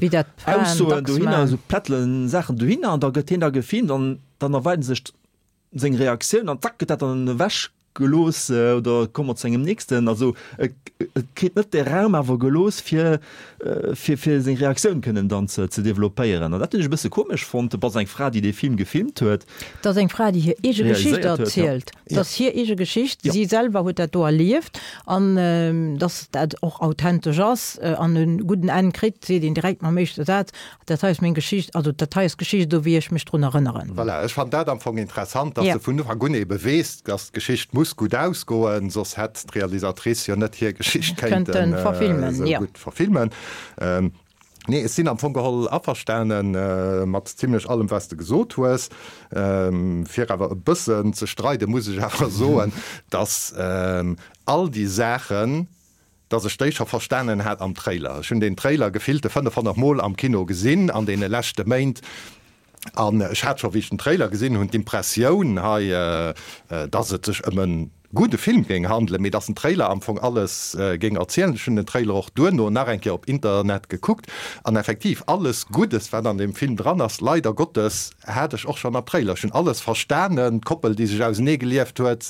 Wéi dat d'Fraen Aussoen dacks dohinner, man. esou plättelen Saachen dohinner an da gëtt hien da gefilmt an dann erweiden sech seng Reaktioun an zack gëtt dat dann ewech gelooss oder komme mer zu engem nächsten. Also et kritt net de Raum awer gelooss fir fir fir seng Reaktioun kënnen dann ze ze developpéieren. An dat hunn ech e bësse komesch fonnt. Et ass eng Fra déi dee Film gefilmt huet. Et ass eng Fra déi hir eege Geschicht Realiséiert huet, ja. erzielt. Et ass hir eege Geschicht. Ja. Si selwer huet dat do erlieft an datt dat och authentesch ass an e gudden Enn kritt, seet een direkt mam éischte Saz. Dat hei ass meng Geschicht, also dat hei ass d'Geschicht esou wéi ech mech drun erënneren. Voilà, ech fannen dat am Fong interessant, dass Ja. de vun Ufank un ebe weess, dass d'Geschicht muss gutt ausgoen, soss hätt d'Realisatrice jo net hir Geschicht Kënnten kéinten verfilmen, esou ja. gutt verfilmen. Nee, ech sinn am Fong geholl averstane mat zimlech allem, wat s de gesot hues. Fir awer e bëssen ze streiden, muss ech awer soen, dass all déi Saachen, dass ech déi scho verstanen hat am Trailer. Ech hunn deen Trailer gefillte fënnefhonnert Mol am Kino gesinn an deene leschte Méint an ech hat scho, wéi ech den Trailer gesinn hunn, d'Impressioun hei, dass et sech ëm e gudde Film géing handelen, mee dass den Trailer am Fong alles géing erzielen. Ech hunn den Trailer och duerno nach eng Kéier op Internet gekuckt an effektiv, alles Guddes, wat an deem Film dran ass, leider Gottes, hat ech och schonn am Trailer. Ech hunn alles verstanen, d'Koppel, déi sech ausenee gelieft huet,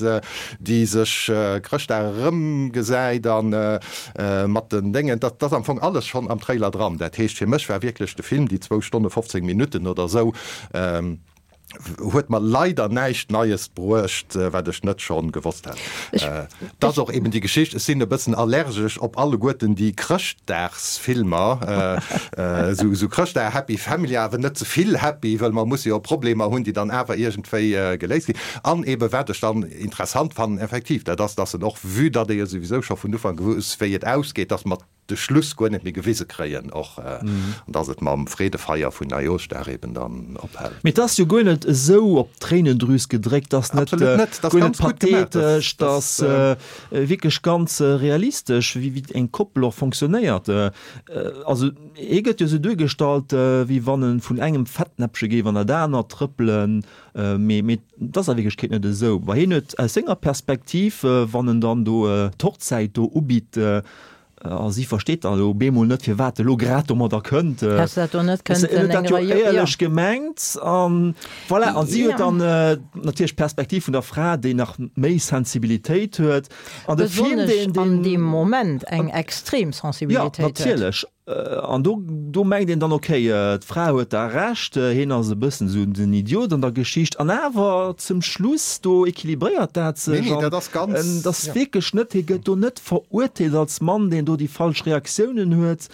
déi sech Chrëschtdag erëmgesäit a mat den Déngen, dat ass am Fong alles schonn am Trailer dran. Dat heescht, fir mech war wierklech de Film, déi zwou Stonne fofzéng Minutten oder esou, huet mer leider näischt Neies bruecht, wat ech net schonn gewosst hätt. Et ass och eben déi Geschicht, ech sinn e bëssen allergesch op alleguerten déi Chrëschtdagsfilmer, esou Chrëschtdag Happy Family, awer net ze vill happy, wëll mer musse jo Problemer hunn, déi dann awer iergendwéi geléist ginn. An eben, wat ech dann interessant fannen, effektiv, dat ass, dass en och, vue datt ee jo souwisou scho vun Ufank wouss, wéi et ausgeet, dass mer de Schluss guer net méi gewise kréien och, an dass et mam Freedefeier vun Neijooschdag eben dann ophält. Mee et ass jo guer net esou op d'Tréinendrüs gedréckt, et ass net Absolut net, et ass guer net ganz gutt gemaach, dat pathetesch, et ass wierklech ganz realistesch, wéi eng Koppel och fonctionnéiert. Also hie gëtt jo esou duergestallt, wéi wann e vun engem Fettnäppche géif an dat anert trëppelen, mee mee et ass a Wierklechkeet net esou. Well hien huet aus senger Perspektiv, wann en dann do d'Hochzäit do ubitt, A si versteet dann elo bemol net, firwat e lo grad domadder kënnt. Häss dat do net kënnten kënnten huet dat jo eng Rei, éierlech jo. gemengt. An voilà, an si huet Ja. dann natierlech d'Perspektiv vun der Fra, déi nach méi Sensibilitéit huet. An de Film, Besonnesch deen, an deen deem Moment eng extrem Ja, Sensibilitéit huet. natierlech. An do, do mengt een dann, okay, d'Fra huet da Recht, hien ass e bëssen esou den Idiot an der Geschicht. An awer zum Schluss, do equilibréiert dat Nee, sech nee, an dat ass ganz, et ass ja. wierklech net, hie gëtt do net verurteelt als Mann, deen do déi falsch Reaktiounen huet.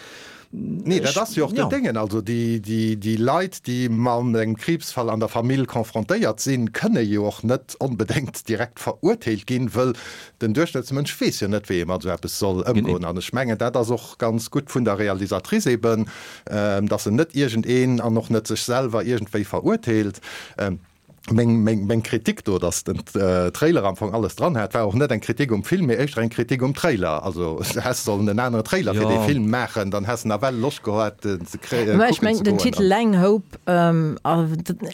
Nee, dat Ech, ass jo och den ja. Déngen. Also déi, déi, déi Leit, déi mat engem Kriibsfall an der Famill confrontéiert sinn, kënne jo och net onbedéngt direkt verurteelt ginn, wëll Den Duerchschnëttsmënsch weess jo net, wéi ee mat esou eppes soll ëmgoen. An ech mengen, dat ass och ganz gutt vun der Realisatrice eben, dass se net iergendeen an och net sech selwer iergendwéi verurteelt. Meng, meng, meng Kritik do, dass den Trailer am Fong alles dran hat, war och net eng Kritik um Film, mee éischter eng Kritik um Trailer. Also häss sollen en anere Trailer fir dee Film maachen, dann häss en nawell Loscht gehat, en ze Mä ech kucken ze mengen, den goen. Titel Lang Hope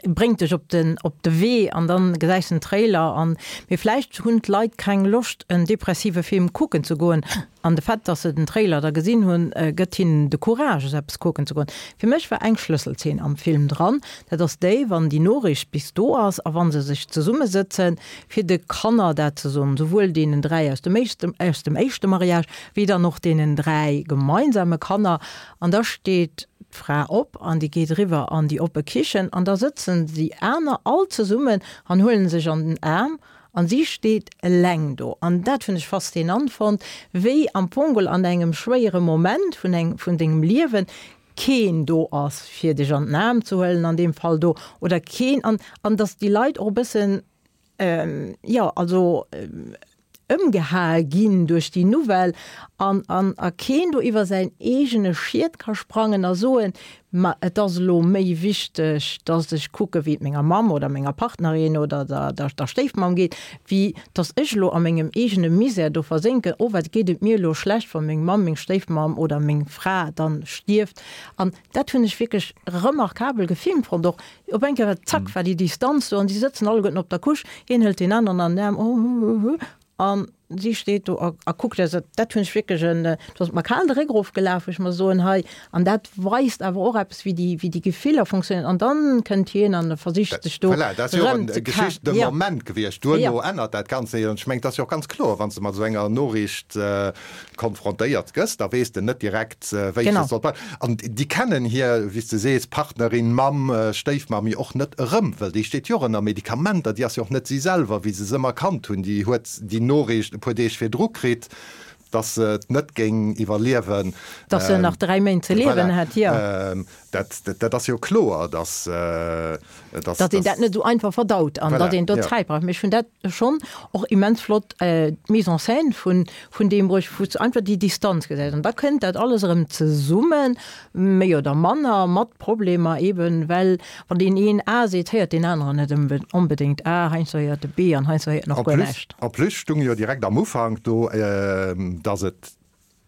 bréngt dech op den, op de Wee an dann gesäis den Trailer an, mee vläicht hunn d'Leit keng Loscht en depressive Film kucken ze goen An de Fait, dass se den Trailer da gesinn hunn, gëtt hinnen de Courage, esou eppes kucken ze goen. Fir mech war eng Schlësselzeen am Film dran, dat ass déi, wann déi Noriicht bis do ass a wa se sech zesummesëtzen, fir de Kanner dat ze soen, souwuel deenen dräi aus dem éischte, aus dem éischte Mariage, wéi dann och deenen dräi gemeinsame Kanner. An da steet d'Fra op an déi geet eriwwer an déi oppe Kichen an da sëtzen déi aner all zesummen an huelen sech an den Aarm an si steet eleng do. An dat hunn ech faszinant fonnt, wéi am Fong an engem schwéiere Moment vun eng, vun dengem Liewen keen do ass, fir dech an den Aarm ze huelen an deem Fall do, oder keen, an, an dass déi Leit och e bëssen, jo, also ëmgehae ginn duerch déi Nouvelle an, an a keen do iwwer säin eegene Schiet ka sprangen a soen, ma et ass elo méi wichteg, dass ech kucke wéi et menger Mamm oder menger Partnerin oder der, der, der Stéifmamm geet, wéi dass ech elo a mengem eegene Misär do versénken, oh wat geet et mir elo schlecht, wa meng Mamm, meng Stéifmamm oder meng Fra dann stierft. An dat hunn ech wierklech remarkabel gefilmt fonnt och. Op eng Kéier, zack, war déi Distanz do an si sëtzen alleguerten op der Couche, hien hëlt deen aneren an den Aarm, oh, an si steet do a, a kuckt. Also dat hunn ech wierklech en, do ass et mer kal de Réck erofgelaf, wou ech mer soen, hei, an dat weist awer och eppes, wéi déi, wéi déi Gefiller funktionéieren. An dann kënnt hien an e versicht sech do Voilà, dat ass jo och erëm en ze Geschicht, de ja. Moment gewiescht. Duerno Ja. ännert dat Ganzt sech. An ech mengen, et ass jo och ganz kloer, wann s de mat esou enger Noriicht konfrontéiert gëss, da weess de net direkt, wéi Genau. s de soll. An déi kennen hir, wéi s de sees, Partnerin, Mamm, Stéifmamm jo och net erëm, well déi steet jo och ënner Medikamenter, déi ass jo och net si selwer, wéi se se ëmmer kannt hunn. Déi huet déi Noriicht e puer Deeg virdru kritt, dass se et net géing iwwerliewen. Dass se nach dräi Méint ze liewen hätt, jo. Dat, dat ass jo kloer, dass, dass. Dass een dat net esou einfach verdaut an dass een do Zäit brauch. Mee ech hunn dat schonn och immens flott, d'Mise en scène vun, vun deem Bréch, wou s de einfach déi Distanz gesäis. An da kënnt dat alles erëm zesummen, méi oder manner, mat Problemer eeben, well wann deen een A seet, héiert deen aneren net onbedéngt A, heiansdo héiert e B an heiansdo héiert en och En guer plus, näischt. en plus stung jo direkt am Ufank do, dass et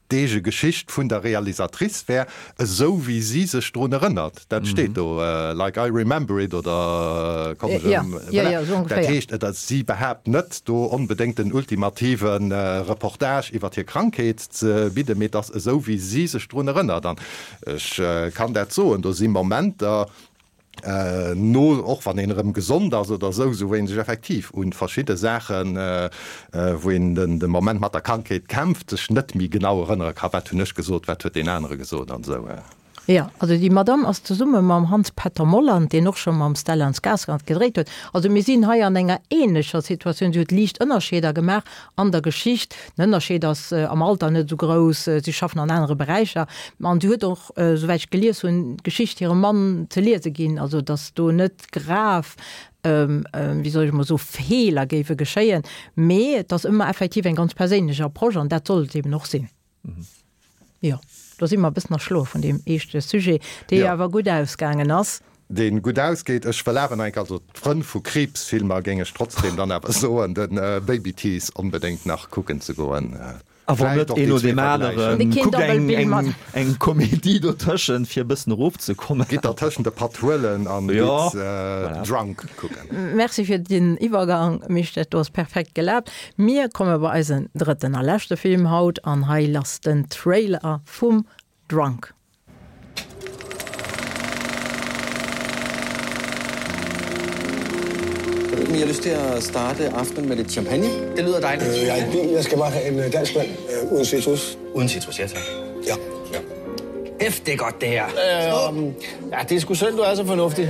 d'eege Geschicht vun der Realisatrice wär, esou wéi si sech drun erënnert. Dat steet do, like I remember it oder komm ech Ja, ëm, ja, voilà. ja, esou Dat ongeféier. heescht, et ass, si behaapt net do onbedéngt den ultimative Reportage iwwer hir Krankheet ze bidden, mee et ass esou wéi si sech drun erënnert. An ech kann dat soen, do si Momenter, no, och wann een erëm gesond ass oder esou, esou wou een sech effektiv un verschidde Saachen, wou een den de Moment mat der Krankheet kämpft, sech net méi genau erënnere ka, wat hunn ech gesot, wat huet deen anere gesot an esou. Jo, also déi Madamm ass zesumme mam Hans Petter Molland, deen och scho mam Stellan Skarsgård gedréit huet, also mir sinn hei an enger ähnlecher Situatioun, si huet liicht Ënnerscheeder gemaach an der Geschicht, den Ënnerscheed ass am Alter net esou grouss, si schaffen an anere Beräicher an si huet och, souwäit ech gelies hunn, d'Geschicht hirem Mann ze liese ginn, also datt do net grav, wéi soll ech emol soen, Feeler géife geschéien, mee et ass ëmmer effektiv eng ganz perséinlech Approche an dat soll et eben och sinn. Jo, do si mer e bëssen erschloe vun deem eeschte Sujet, dee jo awer gutt ausgaangen ass. Dee gutt ausgeet. Ech wëll awer nach eng Kéier, also d'Frënn vu Kriibsfilmer géing ech trotzdem dann awer soen, de Baby Teeth onbedéngt nach kucken ze goen. A wann net, een no deem aneren, kuckt eng, eng, eng Komedie dotëschent, fir e bëssen erofzekommen. Gitt dertëschent e Patt huelen an gitt Drunk kucken. Merci fir den Iwwergang, Misch, dat do ass perfekt gelaapt. Mir komme bei eisen drëtten a leschte Film haut an hei lass den Trailer vum Drunk. Jeg ved ikke, om I har lyst til at starte aftenen med lidt champagne? Det lyder dejligt. Øh, jeg er ikke jeg skal bare have en øh, dansk vand øh, uden citrus. Uden citrus, ja tak. Ja. ja. F, det er godt det her. Øh, ja, det er sgu synd, du er så fornuftig.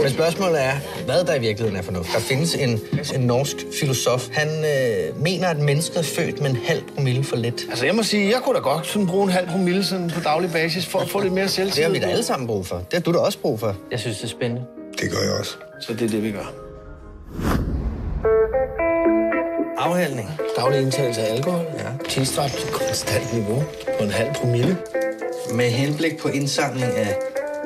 Men spørgsmålet er, hvad der i virkeligheden er fornuft. Der findes en, en norsk filosof. Han øh, mener, at mennesket er født med en halv promille for lidt. Altså, jeg må sige, jeg kunne da godt sådan bruge en halv promille sådan på daglig basis for at få lidt mere selvtillid. Det har vi da alle sammen brug for. Det har du da også brug for. Jeg synes, det er spændende. Det gør jeg også. Så det er det, vi gør. Afhandling. Daglig indtagelse af alkohol. Ja. Tilstræbt konstant niveau på en halv promille. Med henblik på indsamling af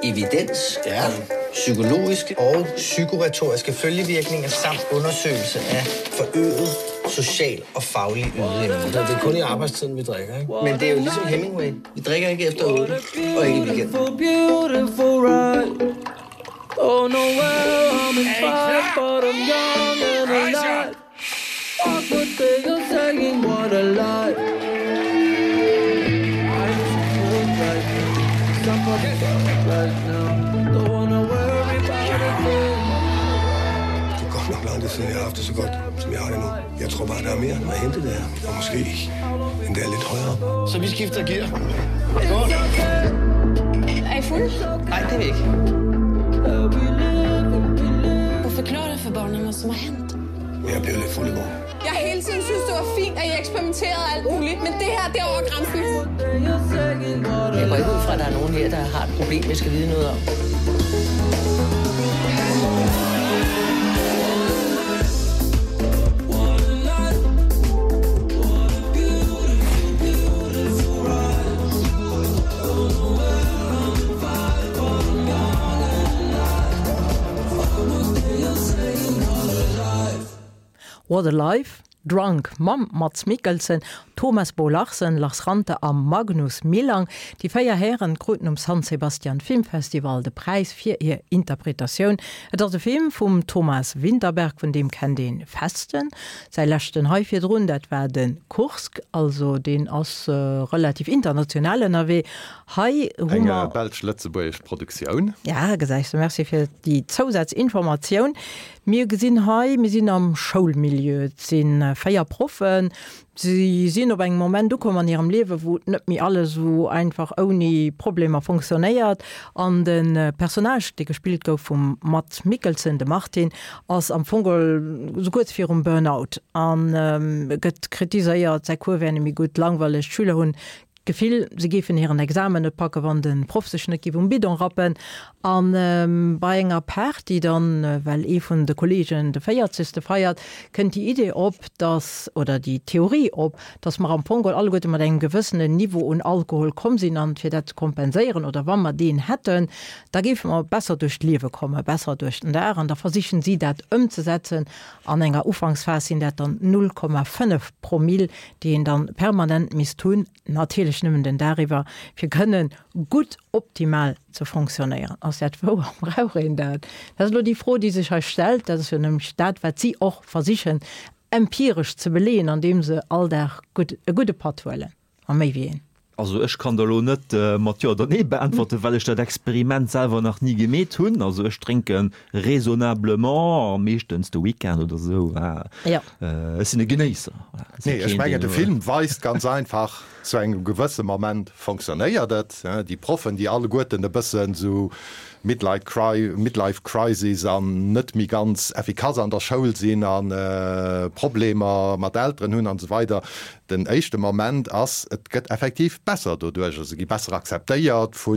evidens ja. om psykologiske og psykoretoriske følgevirkninger samt undersøgelse af forøget social og faglig ydeevne. Det er kun i arbejdstiden, vi drikker, ikke? Men det er jo ligesom Hemingway. Vi drikker ikke efter otte, og ikke i weekenden. Beautiful ride. Don't know where I'm in five, but I'm young and alive. Fuck what they are saying, what a lie. Right now. Don't wanna worry about a thing. Det er godt nok lang tid siden, jeg har haft det så godt, som jeg har det nu. Jeg tror bare, der er mere at hente der. Og måske endda lidt højere op. Så vi skifter gear. Er I fulde? Nej, det er vi ikke. Og forklare for barna hvad som har hent. Jeg blev lidt fuld i går. Jeg har hele tiden synes, det var fint, at I eksperimenterede alt muligt, men det her, det er over grænsen. Jeg går ikke ud fra, at der er nogen her, der har et problem, jeg skal vide noget om. What a Life, Drunk mam Mads Mikkelsen, Thomas Bo Larsen, Lars Ranthe a Magnus Millang. Déi véier Hären kruten um San Sebastian Filmfestival de Präis fir hir Interpretatioun. Et ass e Film vum Thomas Vinterberg, vun deem kennt een Festen. Säi leschten hei virdrun, dat war de Kursk, also deen ass relativ international ënnerwee. Hei hu Eng mer. belsch-lëtzebuergesch Produktioun. Ja, gesäis de, merci fir déi Zousazinformatioun. Mir gesinn hei, mir sinn am Schoulmilieu, et si véier Proffen, si sinn op engem Moment ukomm an hirem Liewe wou net méi alles esou einfach ouni Problemer fonctionnéiert an de Personnage, dee gespillt gouf vum Mads Mikkelsen, de Martin, ass am Fong esou kuerz virum Burnout an gëtt kritiséiert, säi Cours wär net méi gutt, langweileg, d'Schüler hunn d'Gefill, se géifen hiren Examen net packen, wann de Proff sech net géif um Bidon rappen. A bei enger Party dann, well ee vun de Kolleegen de véierzegste feiert, kënnt déi Idee op, dass, oder déi Theorie op, dass mer am Fong geholl alleguerte mat engem gewëssenen Niveau un Alkohol komm sinn an fir dat ze kompenséieren oder wa mer deen hätten, da géife mer besser duerch d'Liewe kommen, besser duerch den Dag. An da versichen si dat ëmzesetzen. An enger Ufanksphas sinn dat dann null Komma fënnef Promill, déi een dann permanent misst hunn, natierlech nëmmen den Dag iwwer, fir kënnen gutt optimal ze fonctionnéieren. Ass dat wouer? Brauch een dat? Dat ass elo déi Fro, déi sech hei stellt. Dat ass jo nämlech dat, wat si och versichen empiresch ze beleeën, andeem se all Dag gutt, e gudde Patt huelen, a méi wéi een. Also ech kann der elo net mat Jo oder Nee beäntwerten, well ech dat Experiment selwer nach ni gemeet hunn. Also ech drénke raisonnablement a meeschtens de Weekend oder esou. Ech sinn e Genéisser. Nee, ech mengen de Film weist ganz einfach, zu engem gewësse Moment fonctionnéiert et. Déi Proffen, déi alleguerten e bëssen esou Midlife Crisis an net méi ganz effikass an der Schoul sinn a Problemer mat Elteren hunn an esou weider. Den éischte Moment ass, et gëtt effektiv besser doduerch, se gi besser akzeptéiert vu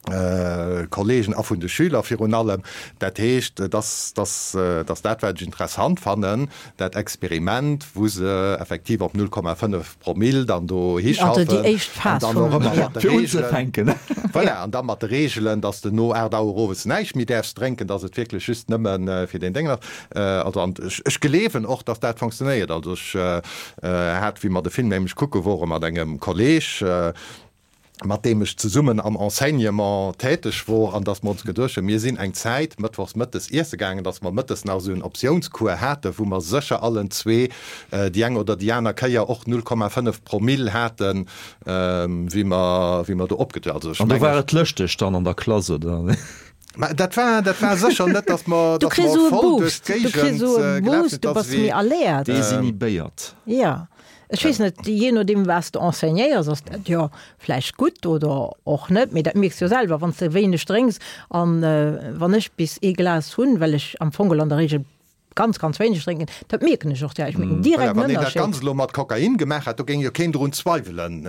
Kolleegen a vun de Schüler virun allem. Dat heescht, et ass, dass, dass dat, wat ech interessant fannen, dat Experiment, wou se effektiv op null Komma fënnef Promill dann do Also déi hischaffen éischt an Phas dann och vum, ëmmer jo. mat de Fir Reegelen, unzefänken. voilà, an da mat de Reegelen, dass de no aacht Auer owes näischt méi däerfs drénken, dass et wierklech just nëmme fir deen Déngen ass. Also, an ech, ech gleewen och, dass dat funktionéiert. Also ech hat, wéi mer de Film nämlech kucke wore mat engem Kolleeg, mat deem ech zesummen am Enseignement täteg wor, an dass mer ons geduecht hunn, mir sinn eng Zäit mëttwochs mëttes iesse gaangen, dass mer mëttes nach esou en Optiounscours haten, wou mer sécher allen zwee déi eng oder déi aner Kéier och null Komma fënnef Promill haten, wéi mer, wéi mer do opgetu. Also ech An do mengen. war et lëschteg dann an der Klass, oder? Mä dat war, dat war sécher net, dass mer, Du dass kriss mer esou e voll duerch Boost, du kriss d'Géigend esou e gelaf Boost, sinn, du dass bass wéi. méi alert. Desinhibéiert. Jo. Ech weess net, jee nodeem wat s de enseignéiers, ass dat jo vläicht gutt oder och net, mee dat mierks jo selwer, wann s de wéineg drénks. An wann ech bis ee Glas hunn, well ech am Fong geholl an der Regel ganz, ganz wéineg drénken, dat mierken ech och direkt, ech mierken direkt Voilà, en wann een dat Ënnerscheed. Ganzt elo mat Kokain gemaach hätt, do géing jo keen drun zweiwelen,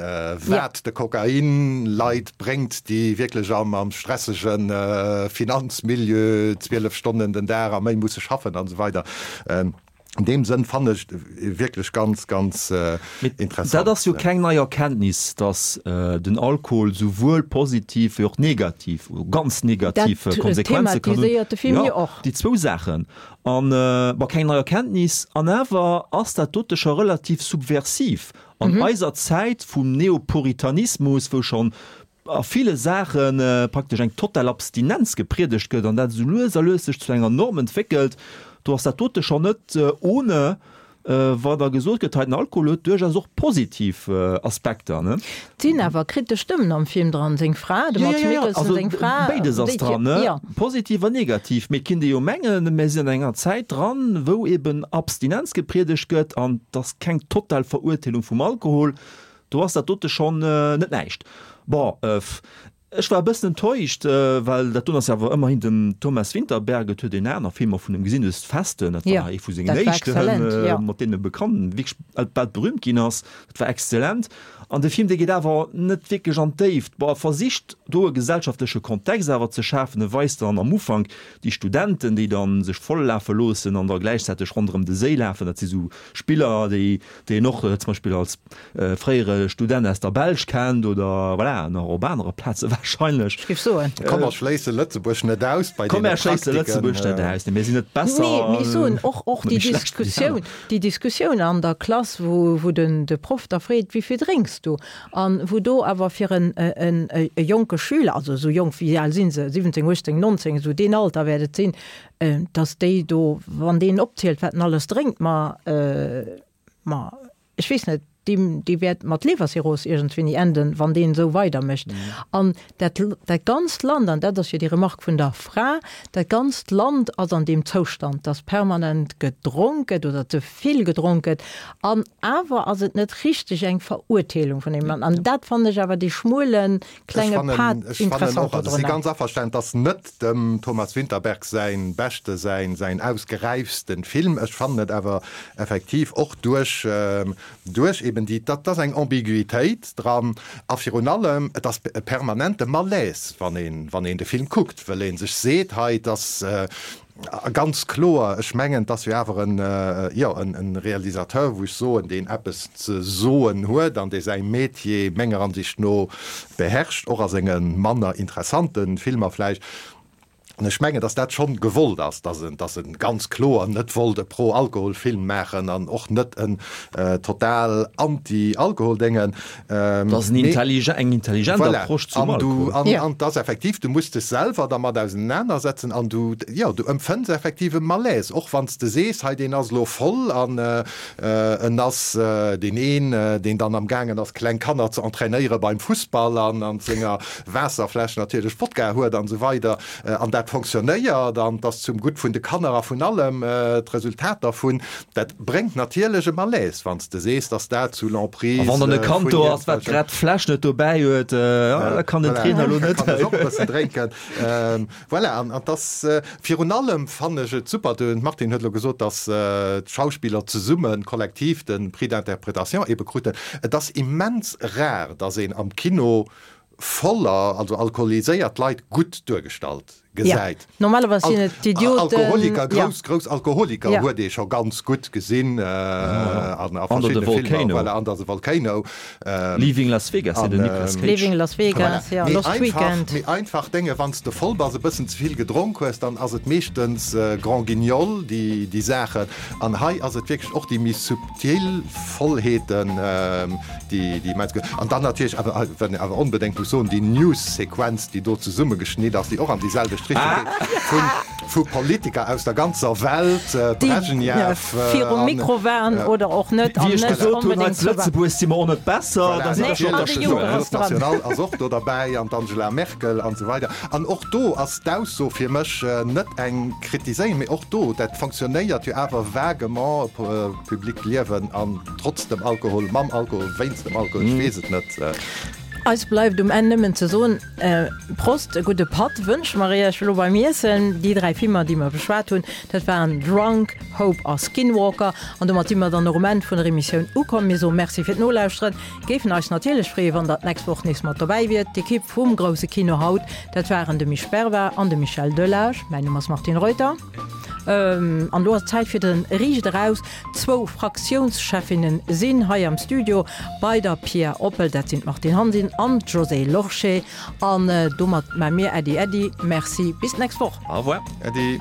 wat de Kokain Leit bréngt, déi wierklech am am stressege Finanzmilieu zwielef Stonnen den Dag a méi musse schaffen an esou weider. An deem Sënn fannen ech et wierklech ganz, ganz interessant. Dat ass jo keng nei Erkenntnis, dass den Alkohol souwuel positiv wéi och negativ, oder ganz negativ Dat Konsequenze kann hunn. thematiséiert de Film jo Jo, och. déi zwou Saachen. An, bon, keng nei Erkenntnis, an awer ass dat dote scho relativ subversiv. An eiser Zäit vum Neopuritanismus, wou schonn a ville Saache praktesch eng total Abstinenz gepriedegt gëtt an dat esou lues a lues sech zu enger Norm entwéckelt, do ass dat dote schonn net ohne. wa da gesot gëtt, hei den Alkohol huet duerchaus och positiv Aspekter, ne? Et sinn awer kritesch Stëmmen am Film dran, seng Fra, de Mads Mikkelsen seng Fra, Béides ass dran, ne? Positiv an negativ. Mee et kinnt ee jo mengen, mir sinn an enger Zäit dran, wou eben Abstinenz gepriedegt gëtt an et ass keng total Verurteelung vum Alkohol, do ass dat dote schonn net näischt. Bon, Ech war e bëssen enttäuscht, well dat doen ass jo awer ëmmerhin dem Thomas Vinterberg, et huet een aner Filmer vun em gesinn, dës Festen, dat war ee vu sengen éischten, mat deenen e bekannt, wierklech weltberühmt ginn ass, dat war exzellent. An de Film, dee geet awer net wierklech an d'Déift. Bon, e versicht do e gesellschaftleche Kontext awer ze schafen, e weist dann am Ufank déi Studenten, déi dann sech voll lafe loossen an da gläichzäiteg ronderëm de Séi lafen, dat si sou Spiller, déi déi een och zum Beispill als fréiere Student aus der Belsch kennt oder voilà, nach op anere Plaze wahrscheinlech. Ech géif soen. Komm, mer schléisse Lëtzebuerg net aus bei Komm, deene mer schléisse Praktiken. Lëtzebuerg net aus. Nee, mir sinn net besser Nee, mee ech soen, och, och net déi méi schlecht wéi déi Diskussioun, aner. déi Diskussioun an der Klass, wou, wou den, de Proff da freet, Wéi vill drénks du? An wou do awer fir en, en, e jonke Schüler, also esou jonk, wéi al si se, siwwenzéng, uechtzéng, nonzéng, esou deen Alter wäert et sinn, dass déi do, wann deen opzielt, wat en alles drénkt, ma, ma ech weess net, deem, dee wäert mat Levercirrhos iergendwéini enden, wann deen esou weidermécht. An dat, dat ganzt Land, an dat ass jo déi Remarque vun der Fra, dat ganzt Land ass an deem Zoustand, dass permanent gedronk gëtt oder ze vill gedronk gëtt. An awer ass et net richteg eng Verurteelung vun deem Mann. An dat fannen ech awer dee schmuelen, Ech klenge fannen, Pad ech fannen interessant och, also ech si dodrunner. ganz averstanen, et ass net dem Thomas Vinterberg säin beschte, säin, säin ausgeräifsten Film. Ech fannen et awer effektiv och duerch, duerch eben déi, dat ass eng Ambiguitéit dran a virun allem, et ass e permanente Malaise, wann een, wann een de Film kuckt, wëll ee sech seet, hei, et ass, A ganz kloer, ech mengen, et ass jo awer en, jo, en Realisateur, wou ech soen, deen eppes ze soen huet an dee säi Metier menger Ansicht no beherrscht, och a senge manner interessante Filmer vläicht. An ech mengen, datt dat schonn gewollt ass, datt en, datt en ganz kloer net wollt e Pro-Alkohol-Film maachen an och net en total Anti-Alkohol-Déngen. Dat ass en intelligent, eng intelligent Voilà. Approche zum An du, Alkohol. an, an et ass effektiv, du muss dech selwer dermat ausenanersetzen an du, jo, du empfënns effektiv e Malaise, och wann s de sees, hei deen ass elo voll an en ass deen een, deen dann am gaangen ass kleng Kanner ze entrainéiere beim Fussball an an senger Waasserfläsch natierlech Wodka huet an esou weider an dat fonctionnéiert an 't ass zum Gutt vun de Kanner a vun allem d'Resultat dervun, dat bréngt natierlech e Malaise, wann s de sees, dass dat sous l'emprise A wann dann e vun Kand do ass, wat iergendwelchen. grad d'Fläsch net dobäi huet, da kann den Voilà, Trainer elo da net. kann ech och e bëssen drénken. Voilà, an 't ass virun allem fannen ech et super, de Martin huet elo gesot, dass d'Schauspiller zesummen, kollektiv de Prix d'interprétation ebe kruten. Et ass immens rar, dass een am Kino voller, also alkoholiséiert Leit gutt duergestallt gesäit. Ja, normalerweis sinn et d'Idioten. Alkoholiker, ja. grouss, grouss Alkoholiker ja. huet ee scho ganz gutt gesinn äh, an a Under the verschiddene Filmer, Volcano. voilà, Under the Volcano. Ähm, Leaving Las Vegas, an, den Nicolas ähm, Cage. Leaving Las Vegas, voilà. ja, Mee Lost einfach, Weekend. Mee einfach Dénge, wann s de voll bass, e bëssen ze vill gedronk hues, dann ass et meeschtens äh, Grand Guignol, déi, déi Saachen. An hei ass et wierklech och déi méi subtil Vollheeten, ähm, déi, déi immens gutt. An dann natierlech awer, wat een awer onbedéngt muss soen, déi News-Sequenz, déi do zesummegeschnitt ass, déi och an déi selwecht Richtung geet, vu, vu Politiker aus der ganzer Welt, Déi Brezhnev, virum an, Mikro waren oder och net, an Wéi ech net gesot hunn, hei onbedéngt zu zu war. Lëtzebuerg si mer och net besser, Voilà, da si der Nee, scho an de der Juncker Spuer. ass dran. National ass och do derbäi an d'Angela Merkel an esou weider. An och do ass d'Ausso fir mech net eng Kritiséierung, mee och do, dat fonctionnéiert jo awer vaguement, public Liewen an trotz dem Alkohol, mam Alkohol, wéinst dem Alkohol, ech weess et net. Eis bleift um Enn nëmmen ze soen, Prost, e gudde Patt wënsche mer iech elo beim Iessen. Déi dräi Filmer, déi mer beschwat hunn, dat waren Drunk, Hope a Skinwalker. An domat si mer dann och um Enn vun der Emissioun ukomm. Mir soe Merci fir d'Nolauschteren, géifen eis natierlech freeën, wann der d'nächst Woch nees mat dobäi wiert. D'Ekipp vum Grousse Kino haut, dat waren de Misch Berva an de Michel Delage. Mäin Numm ass Martine Reuter. An elo ass et Zäit fir de Riicht eraus. Zwou Fraktiounscheffinne sinn hei am Studio bei der Pia Oppel, dat sinn d'Martine Hansen an d'Josée Lorsché. An domat maa mir Äddi Äddi. Merci, bis d'nächst Woch. Au revoir. Äddi.